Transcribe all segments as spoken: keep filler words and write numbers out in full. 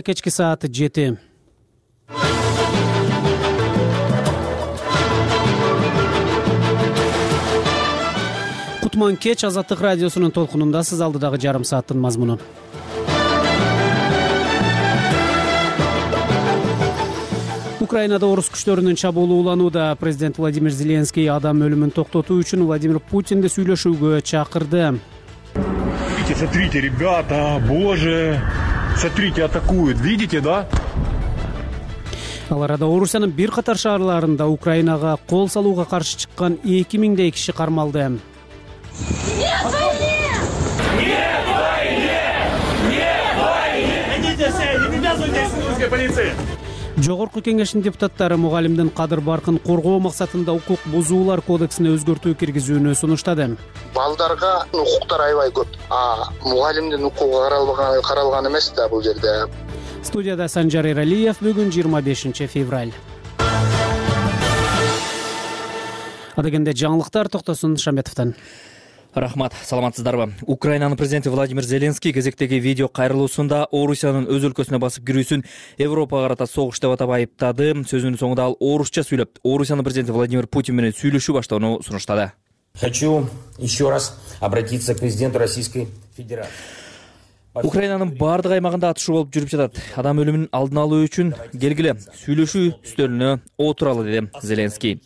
Кечки саат жети. Кутман кеч Азаттык радиосунун толкунунда сиз алдыдагы жарым сааттын мазмуну. Украинада орус күчтөрүнүн чабуулу уланууда. Президент Владимир Зеленский адам өлүмүн токтотуу үчүн Владимир Путинди сүйлөшүүгө чакырды. Смотрите, ребята, боже, смотрите, атакуют, видите, да? Ал арада Орусиянын бир катар шаарларында Украинага кол салууга каршы чыккан эки миңдей киши кармалды. Нет войне! Нет войне! Нет войне! Идите все, не навязывайтесь русской полиции! Жогорку кеңештин депутаттары мугалимдин кадыр баркын коргоо максатында укук бузуулар кодексине өзгөртүү киргизүүнү сунуштады. Балдарга укуктар аябай көп. А мугалимдин укугу каралган каралган эмес да бул жерде. Студияда Санжар Эралиев. Бүгүн жыйырма бешинчи февраль. Адегенде жаңылыктар Токтосун Шаметовдон. Рахмат, саламатсыздарбы? Украинанын президенти Владимир Зеленский кезектеги видео кайрылуусунда Орусиянын өз өлкөсүнө басып кирүүсүн Европага карата согуш деп атап айыптады. Сөзүнүн соңунда ал орусча сүйлөп, Орусиянын президенти Владимир Путин менен сүйлөшүү баштоону сунуштады. Хочу еще раз обратиться к президенту Российской Федерации. Украинанын бардык аймагында атышуу болуп жүрүп жатат. Адам өлүмүнүн алдын алуу үчүн келгиле сүйлөшүү үстөлүнө отуралы, деди Зеленский.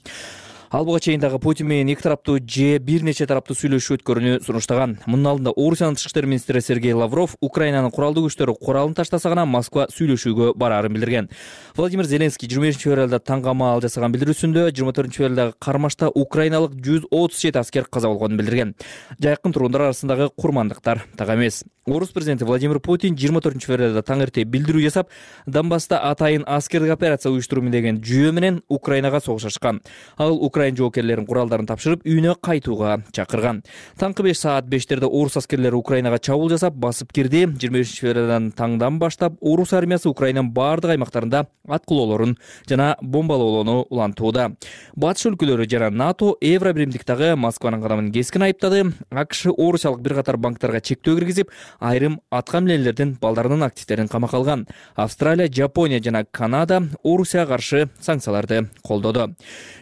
Ал буга чейин дагы Путин менен эки тараптуу же бир нече тараптуу сүйлөшүү өткөрүүнү сунуштаган. Мунун алдында Орусиянын тышкы иштер министри Сергей Лавров Украинанын куралдуу күчтөрү куралын таштаса гана Москва сүйлөшүүгө бараарын билдирген. Владимир Зеленский жыйырма бешинчи февралда таңгамаал жасаган билдирүүсүндө жыйырма төртүнчү февралдагы кармашта украиналык жүз отуз жети аскер каза болгонун билдирген. Жакын тургундар арасындагы курмандыктар так эмес. Орус президенти Владимир Путин жыйырма төртүнчү февралда таң эрте билдирүү жасап, Донбасста атайын аскердик операция уюштуруу деген жүйө менен Украинага согуш ачкан. Ал Украин жоокерлерин куралдарын тапшырып, үйүнө кайтууга чакырган. Таңкы беш саат бештерде орус аскерлери Украинага чабуул жасап, басып кирди. жыйырма бешинчи февралдан таңдан баштап орус армиясы Украинанын бардык аймактарында аткылоолорун жана бомбалоолоону улантууда. Батыш өлкөлөрү жана НАТО Евробиримдиктагы Москванын кадамын кескин айыптады. АКШ орусиялык бир катар банктарга чектөө киргизип, айрым аткаминерлердин балдарынын активдерин камакка алган. Австралия, Жапония жана Канада Орусияга каршы санкцияларды колдоду.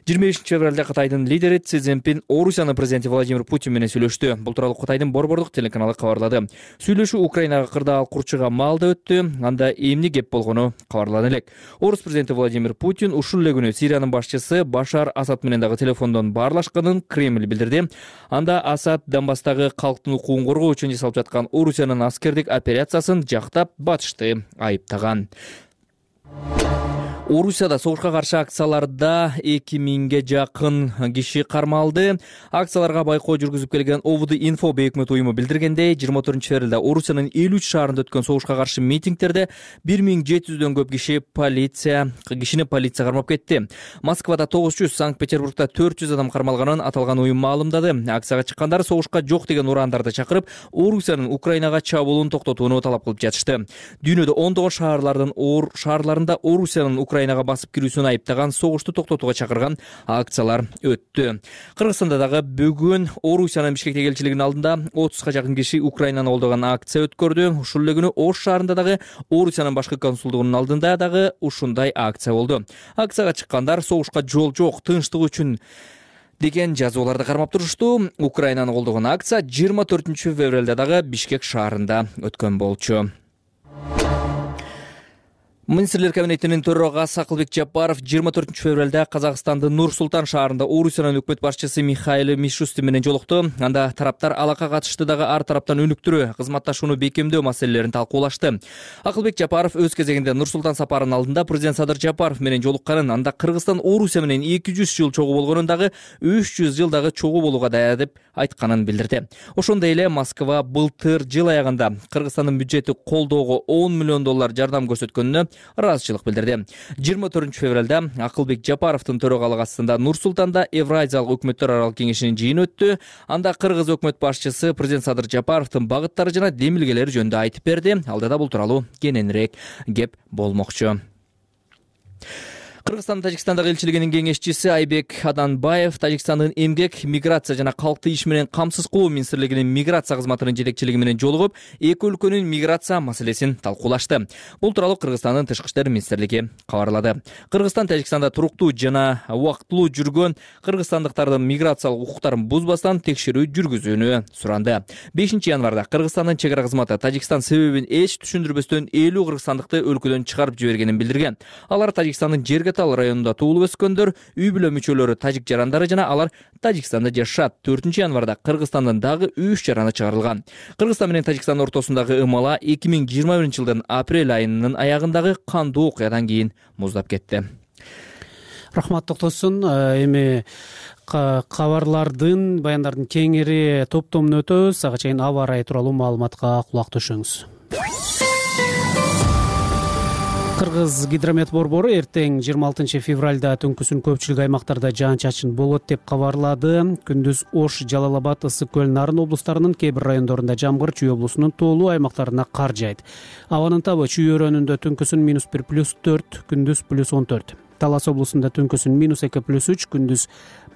жыйырма бешинчи февралда Кытайдын лидери Си Цзиньпин Орусиянын президенти Владимир Путин менен сүйлөштү. Бул тууралуу Кытайдын борбордук телеканалы кабарлады. Сүйлөшүү Украинага кырдаал курчуга маалда өттү. Анда эмне кеп болгону кабарлана элек. Орус президенти Владимир Путин ушул эле күнү Сириянын башчысы Башар Асад менен дагы телефондон баарлашканын Кремль билдирди. Анда Асад Донбасстагы калктын укугун коргоо үчүн жасалып жаткан Орусиянын аскердик операциясын жактап, батышты айыптаган. Орусияда согушка каршы акцияларда эки миңге жакын киши кармалды. Акцияларга байкоо жүргүзүп келген ОВД Инфо бейөкмөт уюму билдиргендей, жыйырма төртүнчү февралда Орусиянын элүү үч шаарында өткөн согушка каршы митингтерде бир миң жети жүздөн көп киши полиция кишини полиция кармап кетти. Москвада тогуз жүз, Санкт-Петербургда төрт жүз адам кармалганын аталган уюм маалымдады. Акцияга чыккандар согушка жок деген урандарды чакырып, Орусиянын Украинага чабуулун токтотууну талап кылып жатышты. Дүйнөдө ондогон шаарлардын оор шаарларында Орусиянын Украинага басып кирүүсүн айыптаган, согушту токтотууга чакырган акциялар өттү. Кыргызстанда дагы бүгүн Орусиянын Бишкектеги элчилигинин алдында отузга жакын киши Украинаны колдогон акция өткөрдү. Ушул эле күнү Ош шаарында дагы Орусиянын башкы консулдугунун алдында дагы ушундай акция болду. Акцияга чыккандар согушка жол жок, тынчтык үчүн деген жазууларды кармап турушту. Украинаны колдогон акция жыйырма төртүнчү февралда дагы Бишкек шаарында өткөн болчу. Министрлер кабинетинин төрагасы Акылбек Жапаров жыйырма төртүнчү февралда Казакстандын Нур-Султан шаарында Орусиянын өкмөт башчысы Михаил Мишустин менен жолукту. Анда тараптар алакка катышты дагы ар тараптан өнүктүрүү, кызматташууну бекемдөө маселелерин талкуулашты. Акылбек Жапаров өз кезегинде Нур-Султан сапарынын алдында президент Садыр Жапаров менен жолукканын, анда Кыргызстан Орусия менен эки жүз жыл чогуу болгонун дагы үч жүз жыл дагы чогуу болууга даяр деп айтканын билдирди. Ошондой эле Москва былтыр жыл аягында Кыргызстандын бюджети колдоого он миллион доллар жардам көрсөткөнүнө ыраазычылык билдирди. жыйырма төртүнчү февралда Акылбек Жапаровдун төрагалык астында Нур-Султанда Евразиялык өкмөттөр аралык кеңешинин жыйыны өттү. Анда Кыргыз өкмөт башчысы президент Садыр Жапаровдун багыттары жана демилгелери жөнүндө айтып берди. Алдыда бул тууралуу кененирээк кеп болмокчу. Кыргызстан Тажикстандагы элчилигинин кеңешчиси Айбек Аданбаев Тажикстандын эмгек, миграция жана калкты иш менен камсыз кылуу министрлигинин миграция кызматынын жетекчилиги менен жолугуп, эки өлкөнүн миграция маселесин талкуулашты. Бул тууралуу Кыргызстандын тышкы иштер министрлиги кабарлады. Кыргызстан Тажикстанда туруктуу жана убактылуу жүргөн кыргызстандыктардын миграциялык укуктарын бузбастан текшерүү жүргүзүүнү суранды. бешинчи январда Кыргызстандын чек ара кызматы Тажикстан себебин эч түшүндүрбөстөн элүү кыргызстандыкты өлкөдөн чыгарып жибергенин билдирген. Алар Тажикстандын Жерге Тал районунда туулуп өскөндөр, үй бүлө мүчөлөрү тажик жарандары жана алар Тажикстанда жашашат. төртүнчү январда Кыргызстандан дагы үч жараны чыгарылган. Кыргызстан менен Тажикстан ортосундагы ымала эки миң жыйырма биринчи жылдын апрель айынын аягындагы кандуу окуядан кийин муздап кетти. Рахмат Токтосун. Эми кабарлардын, баяндардын кеңири топтомун өтөбүз. Ага чейин аба ырайы тууралуу маалыматка кулак түшүңүз. Кыргыз гидромет борбору эртең жыйырма алтынчы февралда түнкүсүн көпчүлүк аймактарда жаан-чачын болот деп кабарлады. Күндүз Ош, Жалал Абад, Ысык көл, Нарын облустарынын кээ бир райондорунда жамгыр, Чүй облусунун тоолуу аймактарына кар жайт. Абанын табы Чүй өрөөнүндө түнкүсүн минус бир плюс төрт, күндүз плюс он төрт. Талас облусунда түнкүсүн минус эки плюс үч, күндүз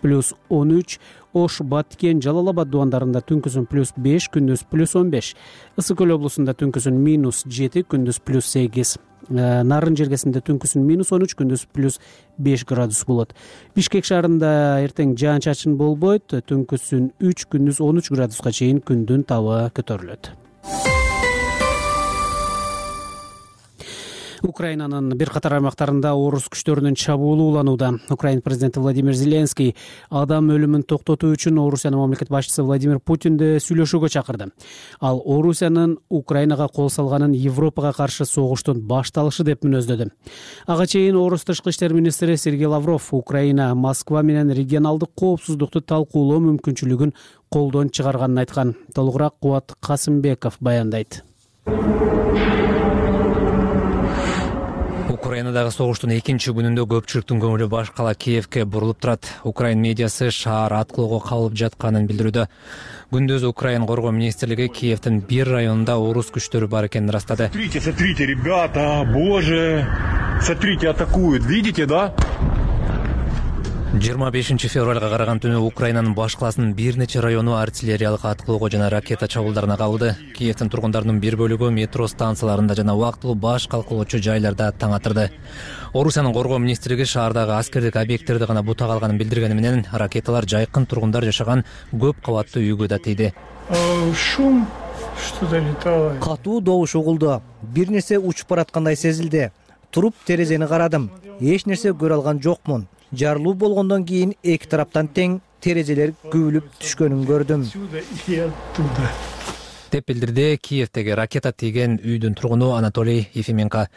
плюс он үч. Ош, Баткен, Жалал Абад дубандарында түнкүсүн плюс беш, күндүз плюс он беш. Ысык көл облусунда түнкүсүн минус жети, күндүз плюс сегиз. Нарын жергесинде түнкүсүн минус он үч, күндүз плюс беш градус болот. Бишкек шаарында эртең жаан-чачын болбойт, түнкүсүн үч, күндүз он үч градуска чейин күндүн табы көтөрүлөт. Украинанын бир катар аймактарында орус күчтөрүнүн чабуулу уланууда. Украин президенти Владимир Зеленский адам өлүмүн токтотуу үчүн Орусиянын мамлекет башчысы Владимир Путинди сүйлөшүүгө чакырды. Ал Орусиянын Украинага кол салганын Европага каршы согуштун башталышы деп мүнөздөдү. Ага чейин орус тышкы иштер министри Сергей Лавров Украина Москва менен регионалдык коопсуздукту талкуулоо мүмкүнчүлүгүн колдон чыгарганын айткан. Толугураак Кубат Касымбеков баяндайт. Украинадагы согуштун экинчи күнүндө көпчүлүктүн көңүлү баш кала Киевке бурулуп турат. Украин медиасы шаар аткылоого кабылып жатканын билдирүүдө. Күндүз Украин коргоо министрлиги Киевдин бир районунда орус күчтөрү бар экенин ырастады. Смотрите, смотрите, ребята, боже, смотрите, атакуют, видите, да? жыйырма бешинчи февралга караган түнү Украинанын баш каласынын бир нече району артиллериялык аткылоого жана ракета чабуулдарына кабылды. Киевдин тургундарынын бир бөлүгү метро станцияларында жана убактылуу баш калкалоочу жайларда таң атырды. Орусиянын коргоо министрлиги шаардагы аскердик объекттерди гана бута калганын билдиргени менен ракеталар жайкын тургундар жашаган көп кабаттуу үйгө да тийди. Шум, что-то летало. Катуу добуш угулду. Бир нерсе учуп бараткандай сезилди. Туруп терезени карадым. Эч нерсе көрө алган жокмун. Жарылуу болгондон кийин эки тараптан тең терезелер күбүлүп түшкөнүн көрдүм деп билдирди Киевдеги ракета тийген үйдүн тургуну Анатолий Ефименко.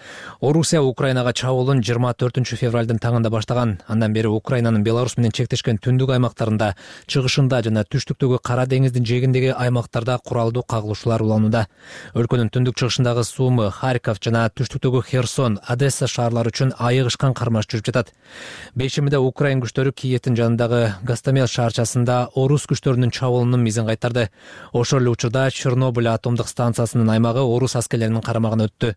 Орусия Украинага чабуулун жыйырма төртүнчү февралдын таңында баштаган. Андан бери Украинанын Беларусь менен чектешкен түндүк аймактарында, чыгышында жана түштүктөгү Кара деңиздин жээгиндеги аймактарда куралдуу кагылышуулар уланууда. Өлкөнүн түндүк чыгышындагы Сумы, Харьков жана түштүктөгү Херсон, Одесса шаарлары үчүн айыгышкан кармаш жүрүп жатат. Бейшембиде Украин күчтөрү Киевдин жанындагы Гастомел шаарчасында орус күчтөрүнүн чабуулунун мизин кайтарды. Ошол эле учурда Чернобыль атомдук станциясынын аймагы орус аскерлеринин карамагына өттү.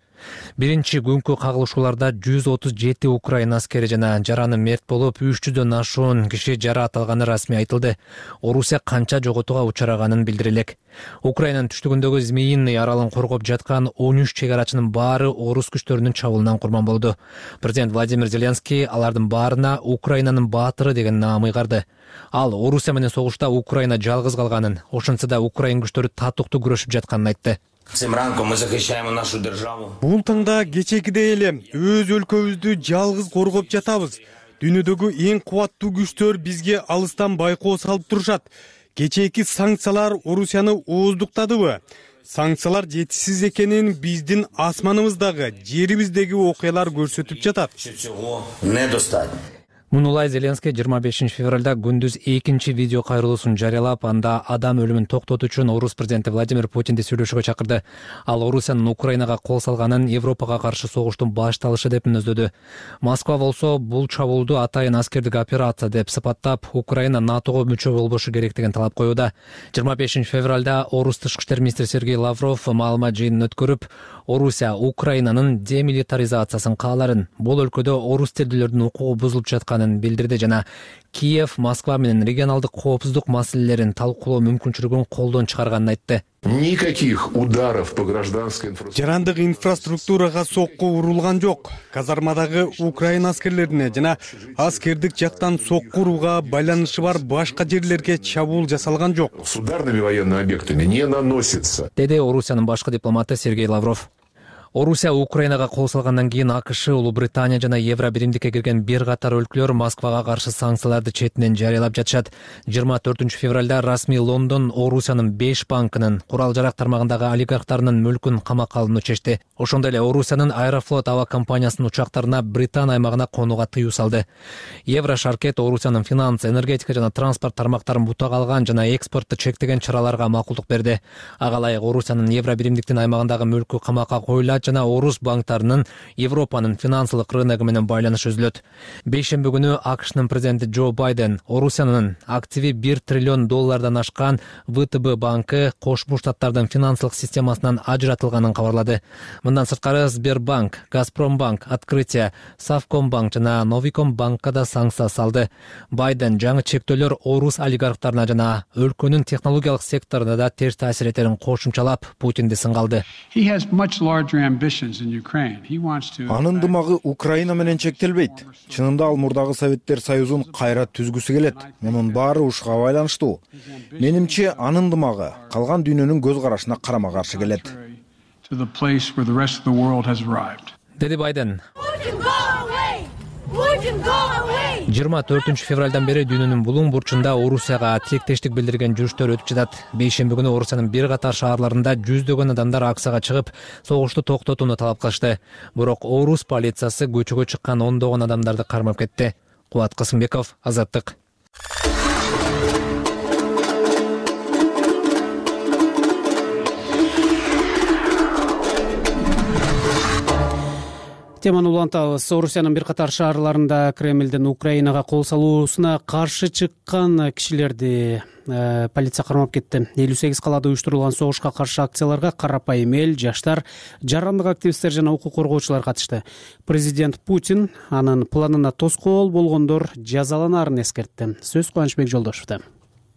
Биринчи күнкү кагылышууларда жүз отуз жети Украин аскери жана жараны мерт болуп, үч жүздөн ашуун киши жараат алганы расмий айтылды. Орусия канча жоготууга учураганын билдирелек. Украинанын түштүгүндөгү Змеиный аралын коргоп жаткан он үч чек арачынын баары орус күчтөрүнүн чабуулунан курман болду. Президент Владимир Зеленский алардын баарына Украинанын баатыры деген наам ыйгарды. Ал Орусия менен согушта Украина жалгыз калганын, ошентсе да Украин күчтөрү татыктуу күрөшүп жатканын айтты. Бул таңда кечекидей эле өз өлкөбүздү жалгыз коргоп жатабыз. Дүйнөдөгү эң кубаттуу күчтөр бизге алыстан байкоо салып турушат. Кечээки санкциялар Орусияны ооздуктадыбы? Санкциялар жетишсиз экенин биздин асманыбыздагы, жерибиздеги окуялар көрсөтүп жатат. Мунулай Зеленский жыйырма бешинчи февралда күндүз экинчи видео кайрылуусун жарыялап, анда адам өлүмүн токтотуу үчүн орус президенти Владимир Путинди сүйлөшүүгө чакырды. Ал Орусиянын Украинага кол салганын Европага каршы согуштун башталышы деп мүнөздөдү. Москва болсо бул чабуулду атайын аскердик операция деп сыпаттап, Украина НАТОго мүчө болбошу керек деген талап коюуда. жыйырма бешинчи февралда орус тышкы иштер министри Сергей Лавров маалымат жыйынын өткөрүп, Орусия Украинанын демилитаризациясын кааларын, бул өлкөдө орус тилдүүлөрдүн укугу бузулуп жатканын билдирди жана Киев, Москва менен регионалдык коопсуздук маселелерин талкуулоо мүмкүнчүлүгүн колдон чыгарганын айтты. Никаких ударов по гражданской инфраструктуре. Жарандык инфраструктурага сокку урулган жок. Казармадагы Украина аскерлерине жана аскердик жактан сокку урууга байланышы бар башка жерлерге чабуул жасалган жок. С ударными военными объектами не наносится. Деди Орусиянын башкы дипломаты Сергей Лавров. Орусия Украинага кол салгандан кийин АКШ, Улуу Британия жана Евро биримдикке кирген бир катар өлкөлөр Москвага каршы санкцияларды четинен жарыялап жатышат. жыйырма төртүнчү февралда расмий Лондон Орусиянын беш банкынын, курал жарак тармагындагы олигархтарынын мүлкүн камакка алууну чечти. Ошондой эле Орусиянын Аэрофлот аба компаниясынын учактарына Британ аймагына конууга тыюу салды. Евро шаркет Орусиянын финанс, энергетика жана транспорт тармактарын бутак алган жана экспортту чектеген чараларга макулдук берди. Ага ылайык Орусиянын Евро биримдиктин аймагындагы мүлкү камакка коюлат жана орус банктарынын Европанын финансылык рыногу менен байланышы үзүлөт. Бейшемби күнү АКШнын президенти Джо Байден Орусиянын активи бир триллион доллардан ашкан ВТБ банкы Кошмо Штаттардын финансылык системасынан ажыратылганын кабарлады. Мындан сырткары Сбербанк, Газпромбанк, Открытие, Совкомбанк жана Новикомбанкка да санкция салды. Байден жаңы чектөөлөр орус олигархтарына жана өлкөнүн технологиялык секторуна да терс таасир этерин кошумчалап Путинди сынга алды. Анын дымагы Украина менен чектелбейт. Чынында ал мурдагы Советтер Союзун кайра түзгүсү келет. Мунун баары ушуга байланыштуу. Менимче анын дымагы калган дүйнөнүн көз карашына карама каршы келет. Деди Байден. жыйырма төртүнчү февралдан бери дүйнөнүн булуң бурчунда Орусияга тилектештик билдирген жүрүштөр өтүп жатат. Бейшемби күнү Орусиянын бир катар шаарларында жүздөгөн адамдар акцияга чыгып, согушту токтотууну талап кылышты. Бирок орус полициясы көчөгө чыккан ондогон адамдарды кармап кетти. Кубат Касымбеков, Азаттык. Теманы улантабыз. Орусиянын бир катар шаарларында Кремлдин Украинага кол салуусуна каршы чыккан кишилерди э, полиция кармап кетти. элүү сегиз калаада уюштурулган согушка каршы акцияларга карапайым эл, жаштар, жарандык активисттер жана укук коргоочулар катышты. Президент Путин анын планына тоскоол болгондор жазаланарын эскертти. Сөз Кубанычбек Жолдошевдо.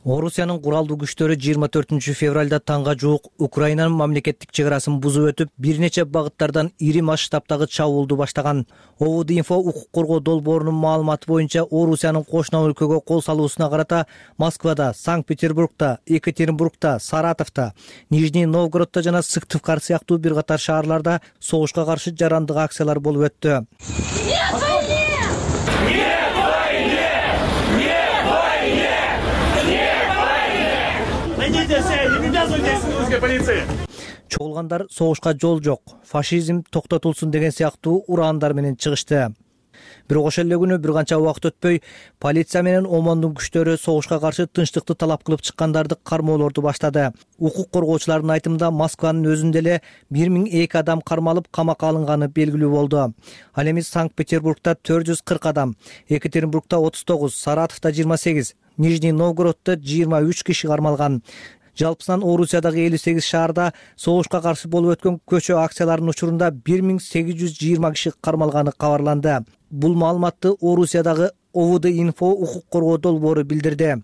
Орусиянын куралдуу күчтөрү жыйырма төртүнчү февралда таңга жуук Украинанын мамлекеттик чек арасын бузуп өтүп, бир нече багыттардан ири масштабтагы чабуулду баштаган. ОВД-инфо укук коргоо долбоорунун маалыматы боюнча Орусиянын кошуна өлкөгө кол салуусуна карата Москвада, Санкт-Петербургда, Екатеринбургда, Саратовдо, Нижний Новгороддо жана Сыктывкар сыяктуу бир катар шаарларда согушка каршы жарандык акциялар болуп өттү. Чогулгандар согушка жол жок, фашизм токтотулсун деген сыяктуу ураандар менен чыгышты. Бирок ошол эле күнү бир канча убакыт өтпөй полиция менен ОМОНдун күчтөрү согушка каршы тынчтыкты талап кылып чыккандарды кармоолорду баштады. Укук коргоочулардын айтымында Москванын өзүндө эле бир миң эки адам кармалып камакка алынганы белгилүү болду. Ал эми Санкт-Петербургда төрт жүз кырк адам, Екатеринбургда отуз тогуз, Саратовдо жыйырма сегиз, Нижний Новгороддо жыйырма үч киши кармалган. Жалпысынан Орусиядагы элүү сегиз шаарда согушка каршы болуп өткөн көчө акцияларынын учурунда бир миң сегиз жүз жыйырма киши кармалганы кабарланды. Бул маалыматты Орусиядагы ОВД-инфо укук коргоо долбоору билдирди.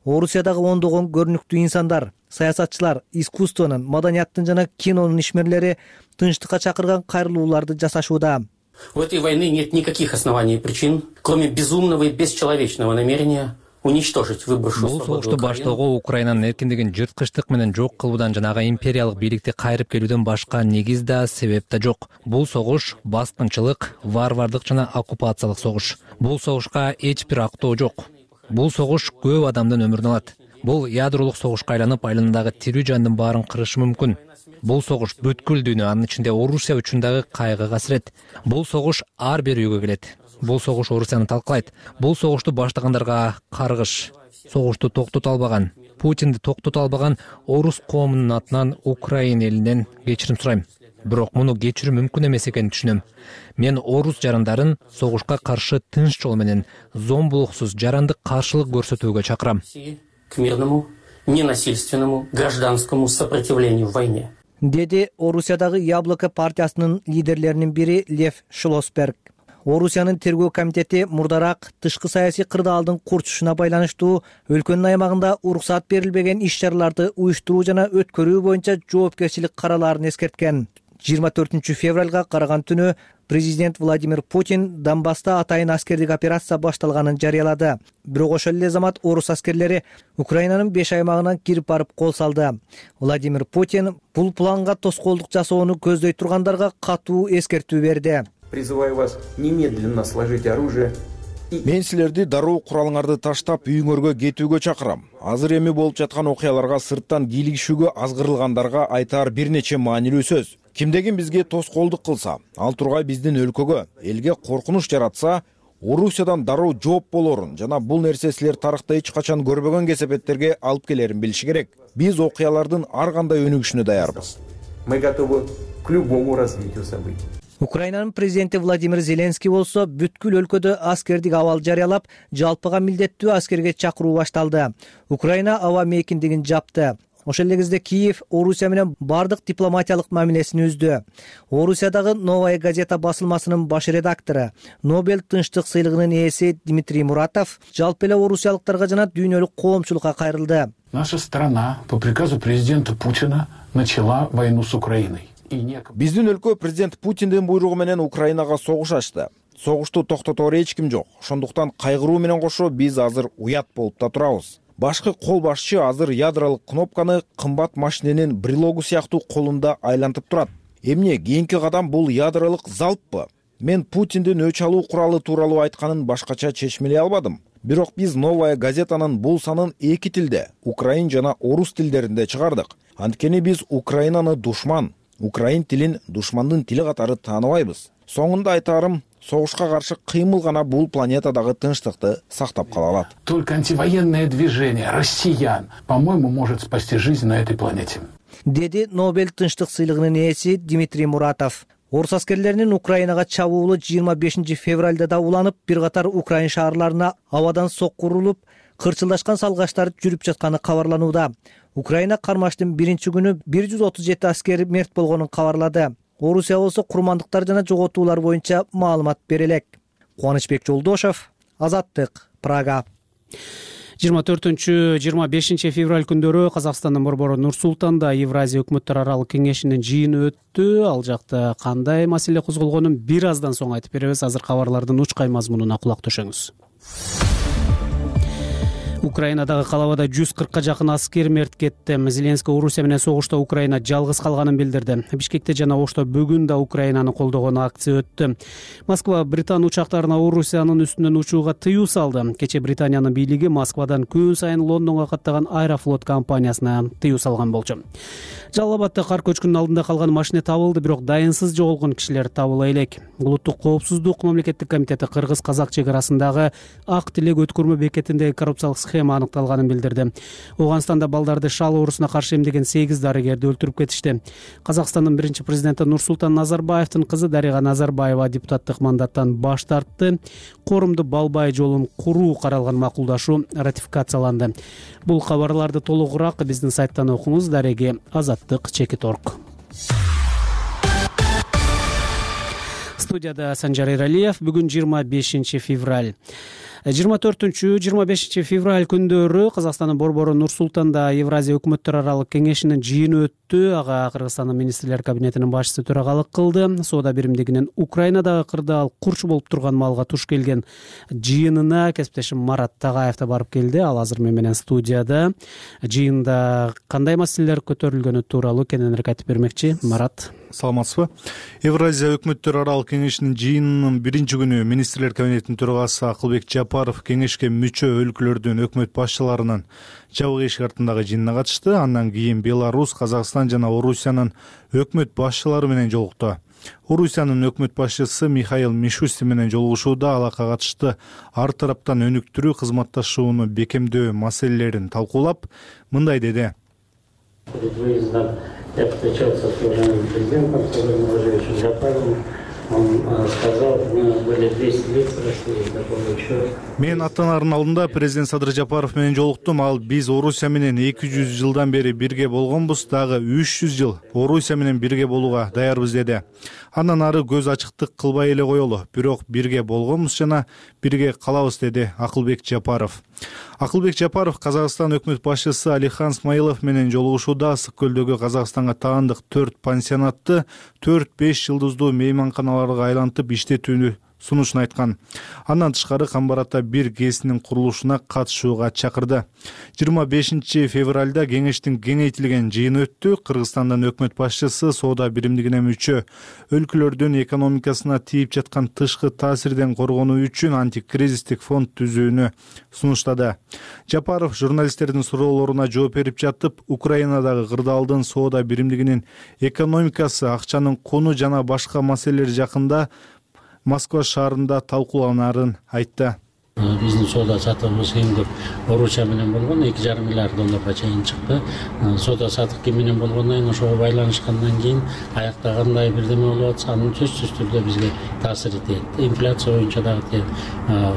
Орусиядагы ондогон көрүнүктүү инсандар, саясатчылар, искусствонун, маданияттын жана кинонун ишмерлери тынчтыкка чакырган кайрылууларды жасашууда. У этой войны нет никаких оснований и причин, кроме безумного и бесчеловечного намерения уничтожить выборшую свободу Украины. Бул согушту баштоого Украинанын эркиндигин жырткычтык менен жок кылуудан жана ага империялык бийликти кайрып келүүдөн башка негиз да себеп да жок. Бул согуш баскынчылык, варвардык жана оккупациялык согуш. Бул согушка эч бир актоо жок. Бул согуш көп адамдын өмүрүн алат. Бул ядролук согушка айланып, айланадагы тирүү жандын баарын кырышы мүмкүн. Бул согуш бүткүл дүйнө, анын ичинде Орусия үчүн дагы кайгы касырет. Бул согуш ар бир үйгө келет. Бул согуш Орусияны талкалайт. Бул согушту баштагандарга каргыш. Согушту токтото албаган, Путинди токтото албаган орус коомунун атынан Украина элинен кечирим сурайм. Бирок муну кечирүү мүмкүн эмес экенин түшүнөм. Мен орус жарандарын согушка каршы тынч жол менен зомбулуксуз жарандык каршылык көрсөтүүгө чакырам. К мирному, ненасильственному, гражданскому сопротивлению в войне. деди Орусиядагы Яблоко партиясынын лидерлеринин бири Лев Шлосберг. Орусиянын тергөө комитети мурдараак тышкы саясий кырдаалдын курчушуна байланыштуу өлкөнүн аймагында уруксаат берилбеген иш-чараларды уюштуруу жана өткөрүү боюнча жоопкерчилик каралаарын эскерткен. жыйырма төртүнчү февралга караган түнү президент Владимир Путин Донбасста атайын аскердик операция башталганын жарыялады. Бирок ошол эле замат орус аскерлери Украинанын беш аймагынан кирип барып кол салды. Владимир Путин бул планга тоскоолдук жасоону көздөй тургандарга катуу эскертүү берди. Призываю вас немедленно сложить оружие. Мен силерди дароо куралыңарды таштап үйүңөргө кетүүгө чакырам. Азыр эми болуп жаткан окуяларга сырттан кийлигишүүгө азгырылгандарга айтаар бир нече маанилүү сөз. Кимдегин бизге тоскоолдук кылса, ал тургай биздин өлкөгө, элге коркунуч жаратса, Орусиядан дароо жооп болорун жана бул нерсе силер тарыхта эч качан көрбөгөн кесепеттерге алып келерин билиши керек. Биз окуялардын ар кандай өнүгүшүнө даярбыз. Мы готовы к любому развитию событий. Украинанын президенти Владимир Зеленский болсо бүткүл өлкөдө аскердик абал жарыялап, жалпыга милдеттүү аскерге чакыруу башталды. Украина аба мейкиндигин жапты. Ошол эле кезде Киев Орусия менен бардык дипломатиялык мамилесин үздү. Орусиядагы Новая газета басылмасынын баш редактору, Нобель тынчтык сыйлыгынын ээси Дмитрий Муратов жалпы эле орусиялыктарга жана дүйнөлүк коомчулукка кайрылды. Наша страна по приказу президента Путина начала войну с Украиной. Биздин өлкө президент Путиндин буйругу менен Украинага согуш ачты. Согушту токтотоор эч ким жок. Ошондуктан кайгыруу менен кошо биз азыр уят болуп да турабыз. Башкы кол башчы азыр ядролук кнопканы кымбат машиненин брелогу сыяктуу колунда айлантып турат. Эмне кийинки кадам бул ядролук залппы? Мен Путиндин өч алуу куралы тууралуу айтканын башкача чечмелей албадым. Бирок биз Новая газетанын бул санын эки тилде, украин жана орус тилдеринде чыгардык. Анткени биз Украинаны душман, украин тилин душмандын тили катары тааныбайбыз. Соңунда айтарым, согушка каршы кыймыл гана бул планетадагы тынчтыкты сактап кала алат. Только антивоенное движение россиян, по-моему, может спасти жизнь на этой планете. Деди Нобель тынчтык сыйлыгынын ээси Дмитрий Муратов. Орус аскерлеринин Украинага чабуулу жыйырма бешинчи февралда да уланып, бир катар украин шаарларына абадан сокку урулуп, кырчылдашкан салгаштар жүрүп жатканы кабарланууда. Украина кармаштын биринчи күнү бир жүз отуз жети аскер мерт болгонун кабарлады. Орусия болсо курмандыктар жана жоготуулар боюнча маалымат бере элек. Кубанычбек Жолдошов, Азаттык, Прага. жыйырма төртүнчү жыйырма бешинчи февраль күндөрү Казакстандын борбору Нур-Султанда Евразия өкмөттөр аралык кеңешинин жыйыны өттү. Ал жакта кандай маселе козголгонун бир аздан соң айтып беребиз. Азыр кабарлардын учкай мазмунуна кулак төшөңүз. Украинадагы калабада жүз кыркка жакын аскер мерт кетти. Зеленский Орусия менен согушта Украина жалгыз калганын билдирди. Бишкекте жана Ошто бүгүн да Украинаны колдогон акция өттү. Москва Британ учактарына Орусиянын үстүнөн учууга тыюу салды. Кече Британиянын бийлиги Москвадан күн сайын Лондонго каттаган Аэрофлот компаниясына тыюу салган болчу. Жалал-Абадда кар көчкүнүнүн алдында калган машина табылды, бирок дайынсыз жоголгон кишилер табыла элек. Улуттук коопсуздук мамлекеттик комитети кыргыз-казак чек арасындагы Ак Тилек өткөрмө бекетиндеги коррупциялык схема аныкталганын билдирди. Ауганстанда балдарды шал оорусуна каршы эмдеген сегиз дарыгерди өлтүрүп кетишти. Казакстандын биринчи президенти Нурсултан Назарбаевдин кызы Дарига Назарбаева депутаттык мандаттан баш тартты. Корумду Балбай жолун куруу каралган макулдашуу ратификацияланды. Бул кабарларды толугураак биздин сайттан окуңуз. Дареги Азаттык чекит точка орг. Студияда Санжар Эралиев. Бүгүн жыйырма бешинчи февраль. жыйырма төртүнчү жыйырма бешинчи февраль күндөрү Казакстандын борбору Нур-Султанда Евразия өкмөттөр аралык кеңешинин жыйыны өттү. Ага Кыргызстандын министрлер кабинетинин башчысы төрагалык кылды. Соода биримдигинин Украинадагы кырдаал курч болуп турган маалга туш келген жыйынына кесиптешим Марат Тагаев да барып келди. Ал азыр мен менен студияда. Жыйында кандай маселелер көтөрүлгөнү тууралуу кененирээк айтып бермекчи. Марат, саламатсызбы? Евразия өкмөттөр аралык кеңешинин жыйынынын биринчи күнү министрлер кабинетинин төрагасы Акылбек Жапаров кеңешке мүчө өлкөлөрдүн өкмөт башчыларынын жабык эшик артындагы жыйынына катышты. Андан кийин Беларусь, Казакстан жана Орусиянын өкмөт башчылары менен жолукту. Орусиянын өкмөт башчысы Михаил Мишустин менен жолугушууда алакка катышты ар тараптан өнүктүрүү кызматташууну бекемдөө маселелерин талкуулап, мындай деди. Я встречался с уважаемым президентом, с уважаемым Жапаровым. Он сказал, мы были двести лет прошли, такого еще. Мен ата-анардын алдында президент Садыр Жапаров менен жолуктум. Ал биз Орусия менен эки жүз жылдан бери бирге болгонбуз, дагы үч жүз жыл Орусия менен бирге болууга даярбыз деди. Андан ары көз ачыктык кылбай эле коелу, бирок бирге болгонбуз жана бирге калабыз деди Акылбек Жапаров. Акылбек Жапаров Казакстан өкмөт башчысы Алихан Смайылов менен жолугушууда Ысык көлдөгү Казакстанга таандык төрт пансионатты төрт беш жылдыздуу мейманканаларга айлантып иштетүүнү сунушун айткан. Андан тышкары Камбарата бир ГЭСинин курулушуна катышууга чакырды. жыйырма бешинчи февралда кеңештин кеңейтилген жыйыны өттү. Кыргызстандын өкмөт башчысы соода биримдигине мүчө өлкөлөрдүн экономикасына тийип жаткан тышкы таасирден коргонуу үчүн антикризистик фонд түзүүнү сунуштады. Жапаров журналисттердин суроолоруна жооп берип жатып, Украинадагы кырдаалдын соода биримдигинин экономикасы, акчанын куну жана башка маселелер жакында Москва шаарында талкууланарын айтты. Биздин соода сатыгыбыз эң көп Орусия менен болгон, эки жарым миллиард долларга чейин чыкты. Соода сатык ким менен болгондон кийин, ошого байланышкандан кийин аякта кандай бирдеме болуп атса, анын сөзсүз түрдө бизге таасир этет. Инфляция боюнча дагы тиет,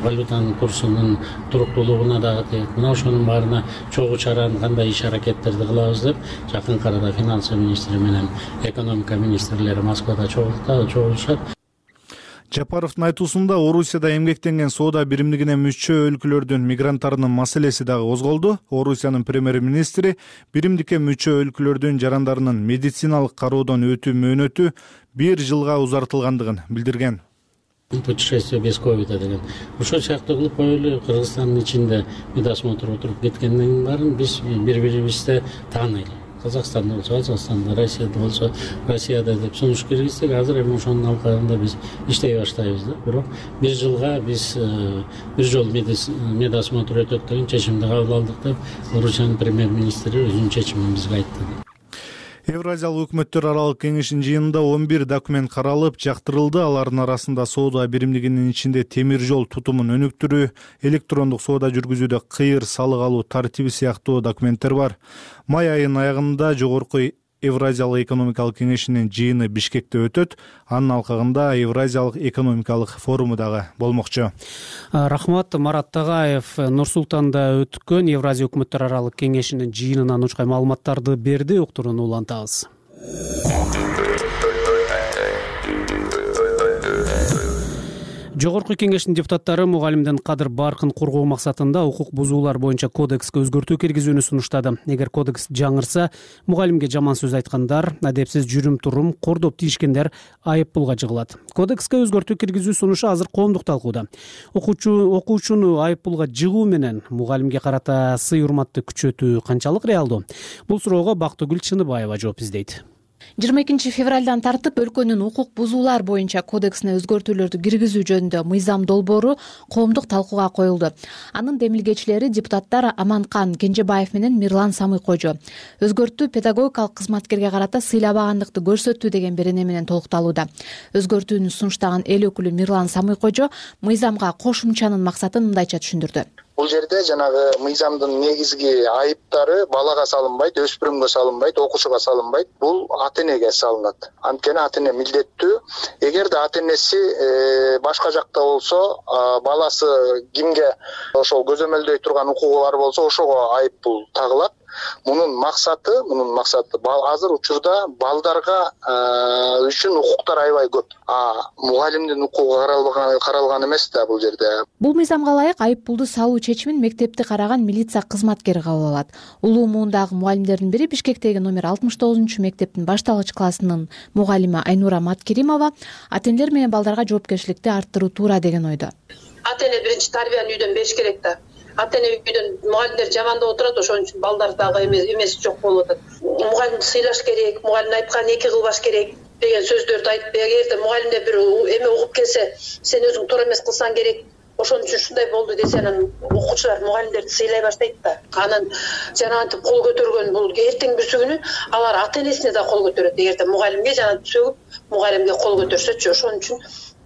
валютанын курсунун туруктуулугуна дагы тиет. Мына ошонун баарына чогуу чараны кандай иш аракеттерди кылабыз деп жакынкы арада финансы министри менен экономика министрлери Москвада чогулушат. Жапаровдун айтуусунда Орусияда эмгектенген соода биримдигине мүчө өлкөлөрдүн мигранттарынын маселеси дагы козголду. Орусиянын премьер-министри биримдикке мүчө өлкөлөрдүн жарандарынын медициналык кароодон өтүү мөөнөтү бир жылга узартылгандыгын билдирген. Путешествие без ковида деген. Ошол сыяктуу кылып коелу, Кыргызстандын ичинде медосмотр отуруп кеткенден баарын биз бири-бирибизди тааныйлы. Казакстанда болсо Казакстанда, Россияда болсо Россияда деп сунуш киргиздик. Азыр эми ошонун алкагында биз иштей баштайбыз да. Бирок бир жылга биз бир жол медосмотр өтөт деген чечимди кабыл алдык деп Орусиянын премьер-министри өзүнүн чечимин бизге айтты. Евразиялык өкмөттөр аралык кеңештин жыйынында он бир документ каралып, жактырылды. Алардын арасында соода биримдигинин ичинде темир жол тутумун өнүктүрүү, электрондук соода жүргүзүүдө кыйыр салык алуу тартиби сыяктуу документтер бар. Май айынын аягында жогорку Евразиялык экономикалык кеңешинин жыйыны Бишкекте өтөт. Анын алкагында Евразиялык экономикалык форуму дагы болмокчу. Рахмат. Марат Тагаев Нур-Султанда өткөн Евразия өкмөттөр аралык кеңешинин жыйынынан учкай маалыматтарды берди. Уктурууну улантабыз. Жогорку кеңештин депутаттары мугалимдин кадыр баркын коргоо максатында укук бузуулар боюнча кодекске өзгөртүү киргизүүнү сунуштады. Эгер кодекс жаңырса, мугалимге жаман сөз айткандар, адепсиз жүрүм-турум кордоп тийишкендер айып пулга жыгылат. Кодекске өзгөртүү киргизүү сунушу азыр коомдук талкууда. Окуучу окуучуну айып пулга жыгуу менен мугалимге карата сый-урматты күчөтүү канчалык реалдуу? Бул суроого Бактыгүл Чыныбаева жооп издейт. жыйырма экинчи февралдан тартып өлкөнүн укук бузуулар боюнча кодексине өзгөртүүлөрдү киргизүү жөнүндө мыйзам долбоору коомдук талкууга коюлду. Анын демилгечилери депутаттар Аманкан Кенжебаев менен Мирлан Самый-Кожо. Өзгөртүү педагогикалык кызматкерге карата сыйлабагандыкты көрсөттүү деген берене менен толукталууда. Өзгөртүүнү сунуштаган эл өкүлү Мирлан Самый-Кожо мыйзамга кошумчанын максатын мындайча түшүндүрдү. Бул жерде жанагы мыйзамдын негизги айыптары балага салынбайт, өспүрүмгө салынбайт, окуучуга салынбайт. Бул ата-энеге салынат. Анткени ата-эне милдеттүү. Эгерде ата-энеси башка жакта болсо, баласы кимге ошол көзөмөлдөй турган укугу бар болсо, ошого айып бул тагылат. Мунун максаты, мунун максаты азыр учурда балдарга үчүн укуктар аябай көп. А мугалимдин укугу каралган каралган эмес да бул жерде. Бул мыйзамга ылайык айып пулду салуу чечимин мектепти караган милиция кызматкери кабыл алат. Улуу муундагы мугалимдердин бири Бишкектеги номер алтымыш тогузунчу мектептин башталгыч классынын мугалими Айнура Маткеримова ата-энелер менен балдарга жоопкерчиликти арттыруу туура деген ойдо. Ата-эне биринчи тарбияны үйдөн бериш керек да. Ата-эне үйдөн мугалимдер жамандап отурат, ошон үчүн балдар дагы эмес жок болуп атат. Мугалимди сыйлаш керек, мугалим айткан эки кылбаш керек деген сөздөрдү айтып, эгерде мугалимде бир эме угуп келсе, сен өзүң туура эмес кылсаң керек, ошон үчүн ушундай болду десе, анан окуучулар мугалимдерди сыйлай баштайт да. Анан жанагынтип кол көтөргөн бул эртең бүрсү күнү алар ата-энесине да кол көтөрөт. Эгерде мугалимге жанагынтип сөгүп, мугалимге кол көтөрсөчү, ошон үчүн